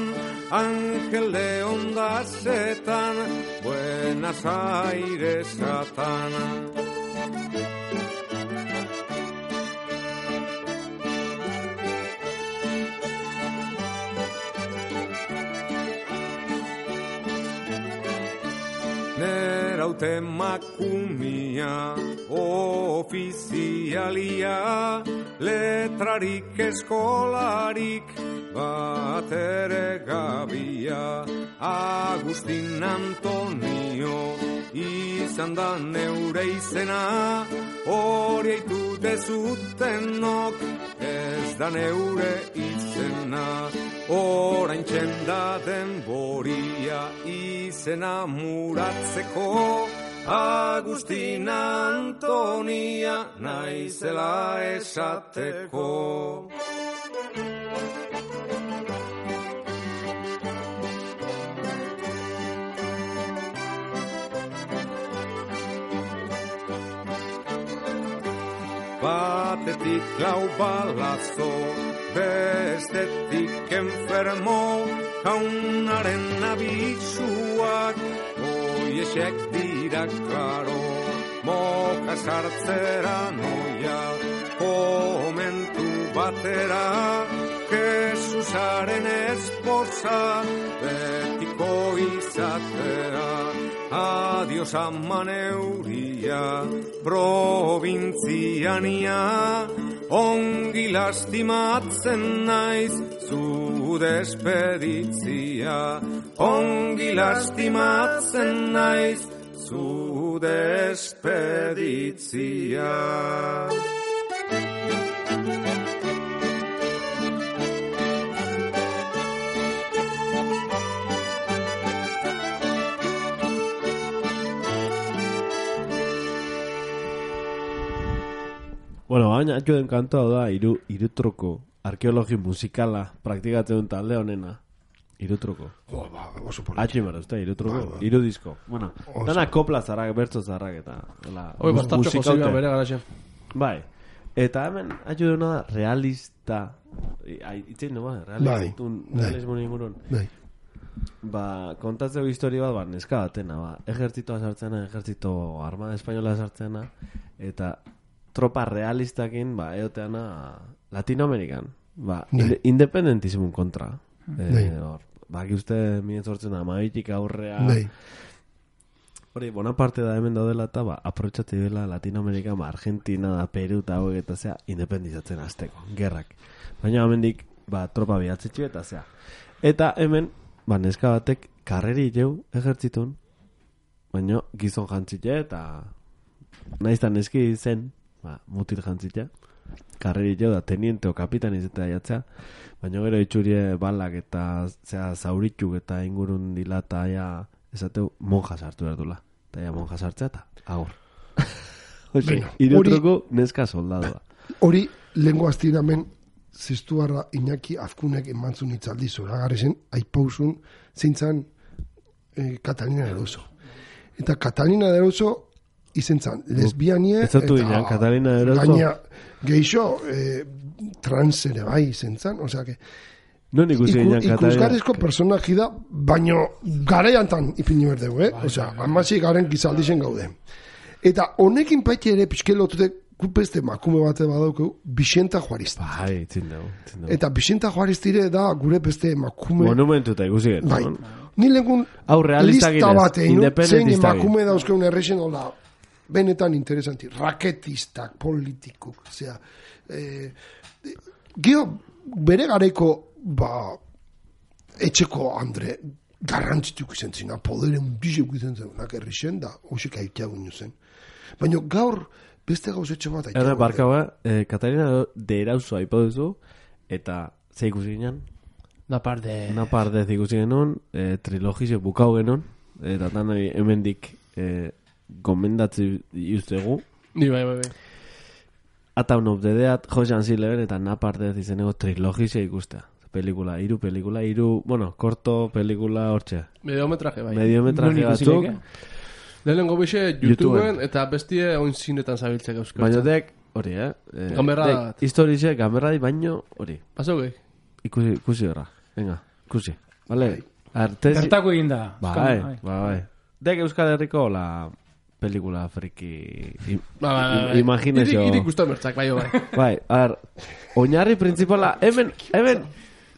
Angel de Ondasetan, Buenos Airesatan. Neraute makumia, ofizialia, letrarik eskolarik, batere gabia. Agustin Antonio, izan da neure izena, hori eitu dezutenok, ez da neure izena. Orain txenda denboria, izena muratzeko, Agustina Antonia naizela esateko. Batetik lau balazo, bestetik enfermo, jaunaren abisuak, oiesek dira klaro, moka sartzera noia, komentu batera, Jesusaren esposa, betiko izatera. Adios ama neuria, provintziania, ongi lastimatzen naiz, zu despeditzia. Ongi lastimatzen naiz, zu despeditzia. Bueno, baina atxo den kantoa da iru, irutroko arkeologi musikala praktikatzen duen talde honena. Irutroko. Oh, ba, oso politi. Atxo imara, uste, irutroko. Ba, ba. Iru disko. Bueno, Oso. dana kopla zarrak, bertzo zarrak eta... Hola, Hoi, bastartxo musikaute. jozibia bere garaxen. Bai. Eta hemen atxo dena da realista. Itzein du, ba? Realismo, Bai. realismo ingurun. Bai. Ba, kontatzeko historia bat, ba, neska batena, ba. Ejertzitoa sartzena, ejertzito armada espainola sartzena, eta tropa realistakin, ba, eoteana Latinoamerikan. Ba, inde, independentismun kontra. Bai. Eh, hor, baki uste minen sortzen amabitik aurrea. Bai. Hori, Bonaparte da hemen daudela eta, ba, aprotxatu dela Latinoamerika, ba, Argentina da, Peru eta hauek eta zea, independizatzen azteko, gerrak. Baina hemendik, ba, tropa bihatzetxe eta zea. Eta hemen, ba, neska batek karreri jau ejertzitun, baina gizon jantzite eta naiztan neski zen, ba, mutil jantzite, karreri jau da teniente o kapitan izatea jatzea, baina gero itxurie balak eta zea zauritzuk eta ingurun dilata ja, esateu monja sartu behar dula. Eta ja monja sartzea eta agur. Oxe, Bueno, irutroko neska soldadua. Hori, lehenko astiramen, zestuarra Iñaki Azkunek emantzun itzaldi zoragarri zen, aipausun zeintzan eh, Catalina de Eroso. Eta Catalina de Eroso izen zan, lesbianie, Ez zatu ginen, Catalina de Eroso. gaina geixo eh, trans ere bai izen zan, osea que Non ikusi Iku, ginen Catalina. ikusgarrizko personaji da, baino garaiantan ipini berdegu, eh? Osea, amasi garen gizaldixen gaude. Eta honekin paiti ere pixke lotute kupeste makume bate badaukeu, Bixenta Juaristi. Bai, itzin dugu. itzin dugu. Eta Bixenta Juaristire da gure beste makume... Monumentuta ikusi gen. Bai. Ni lehengun Hau realistak lista ginez, bat egin, zein independentistak emakume dauzkeun errexen hola, benetan interesanti, raketistak, politikuk, osea, eh, geho, bere garaiko, ba, etxeko Andre, garrantzituk izan zina, podere undizek izan zenak errexen da, hoxek aiteagun zen. Baina gaur, beste gauzetxo bat aiteagun. Erre, barka ba, eh, Katarina de Erauzo aipa duzu, eta ze ikusi ginen? Napar de... Napar dez ikusi genuen, eh, trilogizio bukau genuen, eta tan hemendik eh, gomendatzi justegu. Ni bai, bai, bai. Ataun of the Dead, Josean Silver eta Napar dez izeneko trilogizia ikustea. Pelikula, hiru pelikula, hiru, bueno, korto pelikula hortxe. Mediometraje, bai. Mediometraje batzuk. Lehenengo bixe YouTubeen eta bestie oin zinetan zabiltzek euskal. Baina dek, hori, eh? eh Gamberra dek, bat. Historize, gamberra di baino, hori. Pasau gehi? Ikusi, ikusi horra. Venga, ikusi. Vale? Artezi... Bertako egin da. Bai, bai, bai. Dek Euskal Herriko la pelikula friki... Im, Ba, ba, ba. Imaginezio... Irik usta mertzak, bai, bai. Bai, a ver, oinarri principala, hemen, hemen,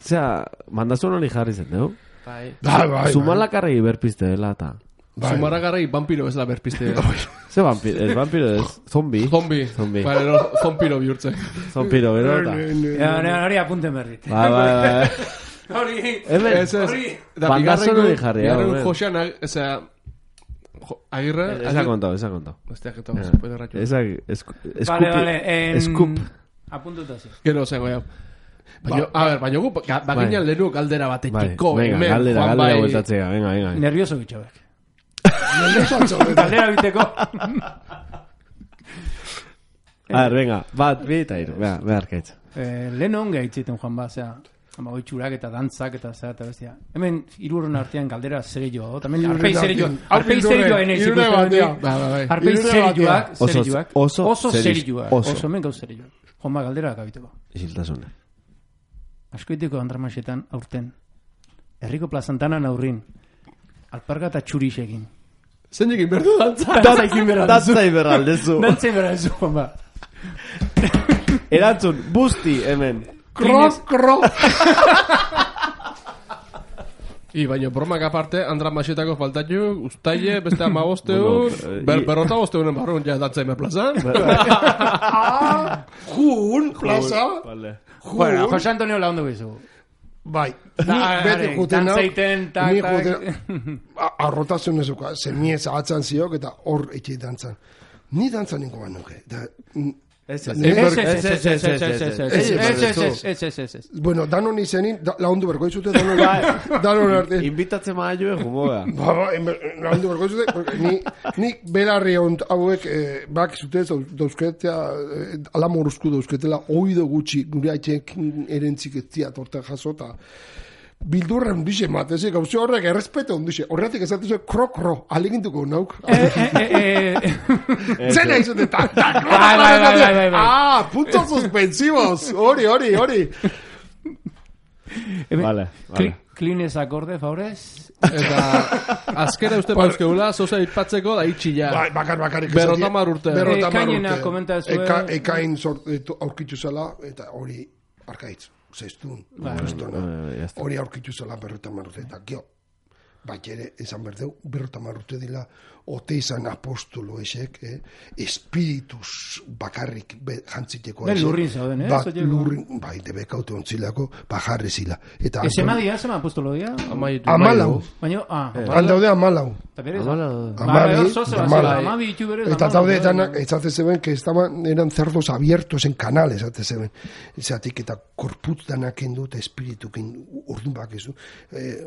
zera, mandazuen hori jarri zen, dugu? Bai. Bai, bai. Zumalakarregi berpizte dela, eta... Bai. Zumaragarrei vampiro bezala berpiste. Ze vampiro, ez vampiro ez, zombi. Zombi. Zombi. Bai, no, zompiro bihurtzen. Zompiro, bero, eta... Ja, hori apunten berrit. Bai, bai, bai. Hori... Hemen, Ez, ez. Da, bandazuen hori jarri, hau, bigarren ben. Josean, eza... Agirre... Eza kontau, eza kontau. Besteak eta spoiler ratxo. Eza, eskupi, Vale, vale. En... eskup. Apuntuta zi. Gero zengo, ja. Baina, a ber, baina gu, baginan Bai. lehenuko galdera Bai, batetiko, venga, hemen, galdera, Juan galdera bai... bueltatzea, venga, venga. Nervioso bitxobek. Galdera biteko. A ver, venga, bat, bi eta hiru, venga, behar kaitza. Eh, lehen onge aitziten joan ba, zera, ama oitxurak eta dantzak eta zera eta bestia. Hemen hirurren artean galdera serioa, tamen arpei serioa. Arpei serioa enez Hirurre batean. Ba, ba, bai. Arpei Hirurre serioak, Oso- serioak. oso Oso serio- serioak. oso. Oso hemen gauz serioak. Joan ba, galdera gabiteko. Isiltasuna. Askoiteko andramasetan aurten. Herriko plazantanan aurrin. Alparga eta txurixekin. Zen jekin berdu dantza. Dantza ikin berra. Dantza iberraldezu. Dantza berra zu, joan ba. Erantzun, busti, hemen. Kro, kro. I, baina bromak aparte, Andra Masetako faltatxu, ustaile, beste amabosteun, Bueno, ber, i- berrota bosteunen barrun ja dantza emer plazan. Jun, plaza. Vale. Bueno, Jose Antonio la ondo bizu. Bai. Ni Da, beti are, juten hau. dantzaiten, tak, Ni tak. juten... Arrotasun ezuka. Zemiez ahatzan ziok eta hor etxe dantzan. Ni dantzan ninko bat nuke. Da, mm, Ez, ez, Ni Ez, ber- ez, ez, ez, ez, ez, ez, ez, ez, ez, ez, ez, ez, ez. Bueno, danon izenin, da, laundu berko izute, danon, danon arte. Invitatzen maa joe, jungo da. Ba, ba, enber- laundu berko izute, porque ni, ni belarri ont hauek, eh, bak zute, dauzketea, eh, alamoruzku dauzketela, oido gutxi, gure haitxek erentzik ez zia torta jasota. Bildurra hundixe mateze, gauze horrek errespeto hundixe. Horretik esatuzue, kro-kro, alegintuko nauk. Eh, eh, eh, eh. Zena izute, ta, ta, Bai, bai, bai, bai, bai, bai. Ah, puntos suspensivos. Hori, hori, hori. Hemen, Vale, cli- vale. Klines akorde, favorez. Eta azkera uste pauzkeula, zoza ipatzeko da itxi ja. Bai, bakar, bakarik. Berrota hamar urte. Berrota hamar Ekainena urte. komenta zuen. Eka, ekain sort, eto, aurkitu zela, eta hori arkaitz. Zestun, Bai. zestuna. Eh, ya está. Hori aurkitu zela berrota hamar urte. Eta gio, bat ere, esan berdeu, berrota hamar urte dila, ote izan apostolo esek, eh? Espiritus bakarrik be, jantziteko. Ben esek. lurrin zauden, eh? Bat Zoieko. lurrin, bai, debekaute ontzilako, bajarri zila. Eta Ez ema dia, zema apostolo dia. Amaitu. amalau. Baina, ah, Aldaude amalau. eta berez. Amala- Bai, Amabi, bai, zoze, amabi. bai, amabi ditu berez. Eta amabi, daude bai, danak, bai. ezate zeben, que estaban, eran cerdos abiertos en canales, ezate zeben. Ezatik eta korputz danak endu eta espiritu kendu, orduan bakezu. Eh,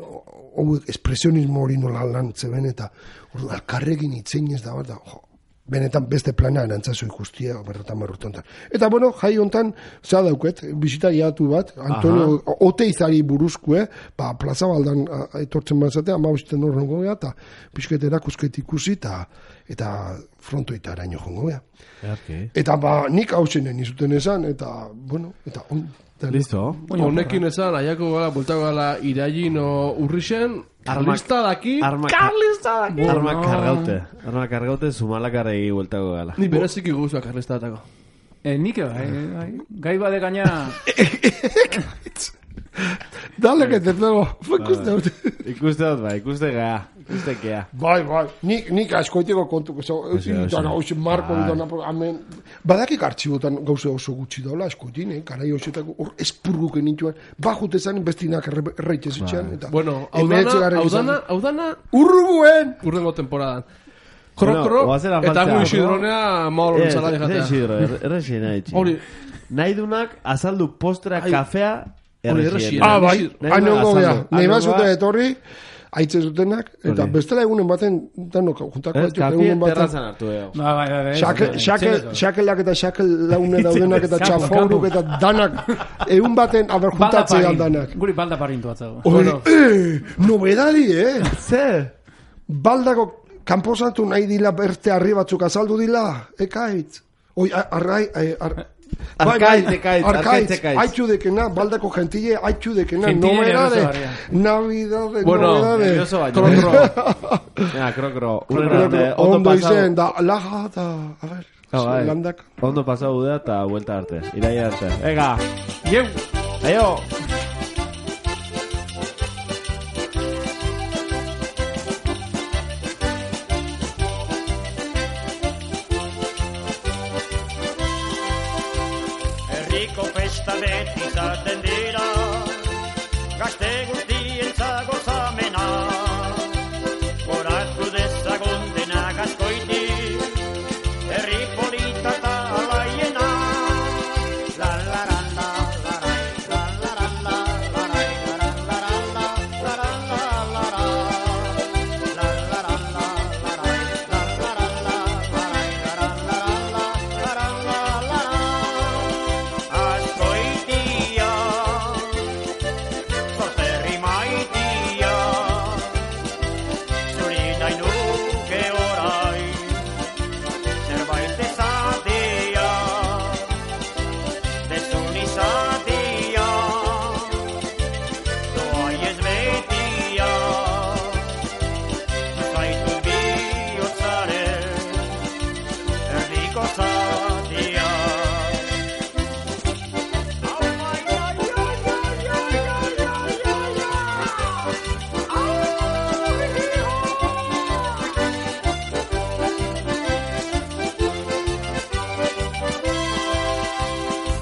hau espresionismo hori nola lan zeben, eta orduan alkarrekin itzein ez da, bat da, jo, benetan beste plana erantzazu ikustia, berrotan marrutontan. Eta bueno, jai hontan, za dauket, bisita iatu bat, Antonio, ote izari buruzkue, ba, plaza baldan a, etortzen bazatea, ama bisten hor jongo gea, eta pixket erakusket ikusi, eta eta frontoita araño jongo gea. Earki. Eta ba, nik hausenen izuten esan, eta, bueno, eta on. eta- Listo. Honekin esan, aiako gala, bultako gala, irailin o urrixen, Karlista daki, Arma, Karlista daki. arma No. kargaute. Arma kargaute zumalakarregi bueltako gala. Ni bereziki guzua Karlista datako. Eh, nik, bai, bai. Gai bade gaina... Dale, que te pego. Ikuste dut. Ikuste dut, bai, ikuste gea. Ikuste gea. Bai, bai. Nik, nik askoiteko kontu, so, Oxe, oxe. dana, oxe, marko, Bai. dana, amen. Badakik artxibotan gauze oso gutxi daula, askoitin, eh? Garai osetako, hor espurguken nintuen, bajute zan, bestinak erreitxe zitxean, eta... Bueno, hau hemeretzi dana, garren hau izan. dana, hau dana, Urruguen! urrengo temporadan. Kro, Bueno, kro, oazen eta afaltzea, gu no? isidronea maolo Ez, entzala ez jatea. isidro, errexi nahi txi. Hori, Nahi dunak azaldu postera, Ai. kafea, erregien. Ah, bai, Nahi hain ongo azaldu. gea. Nahi Hango bazute ba- etorri, aitzen zutenak, eta Hori. bestela egunen baten, danok, juntako Ez, baitu, kafi egunen baten. terrazan hartu eo. Ba, bai, bai, bai. Xake- ez, xake- ez, ez, Xakelak eta xakel laune daudenak eta Kampo, txaforuk kampo. eta danak, egun baten, aber Balda juntatzean parin. danak. Guri balda parintu atzago. Hori, eh, nobedadi, eh? Ze? Baldako kanposatu nahi dila berte harri batzuk azaldu dila, ekaitz. Oi, a- arrai, ai, ar... Arkaitz, ekaitz, arkaitz, arkaitz, ekaitz. haitxu dekena, baldako gentile, haitxu dekena, Gentile nobedade, nervioso barria. navidade, Bueno, nobedade. nervioso baino. Kro, kro. Ja, kro, kro. Pero, Urren, pero, eh, ondo ondo pasau. izen, da, laja, da, a ver, Ah, bai. landak. Ondo pasau da eta vuelta arte. Iraia arte. Ega, Ieu. aio! Herriko festa beti izaten dira, gazte guztientzat gozamena. Goratu dezagun denak askoitik, herri polita eta alaiena. La la la la la la la la la la la la la la la la la la la. La la la la la la la la la la la la la la la. Askoitia, sorterri maitia, zuri nahi nuke orai, zerbait ezatea, dezun izatea, doai ez betia, zaitu bihotzaren, erdiko zatia.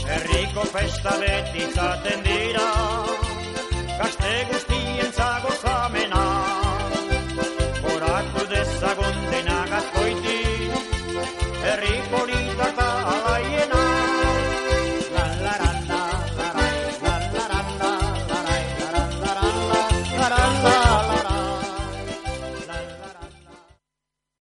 Herriko festa beti izaten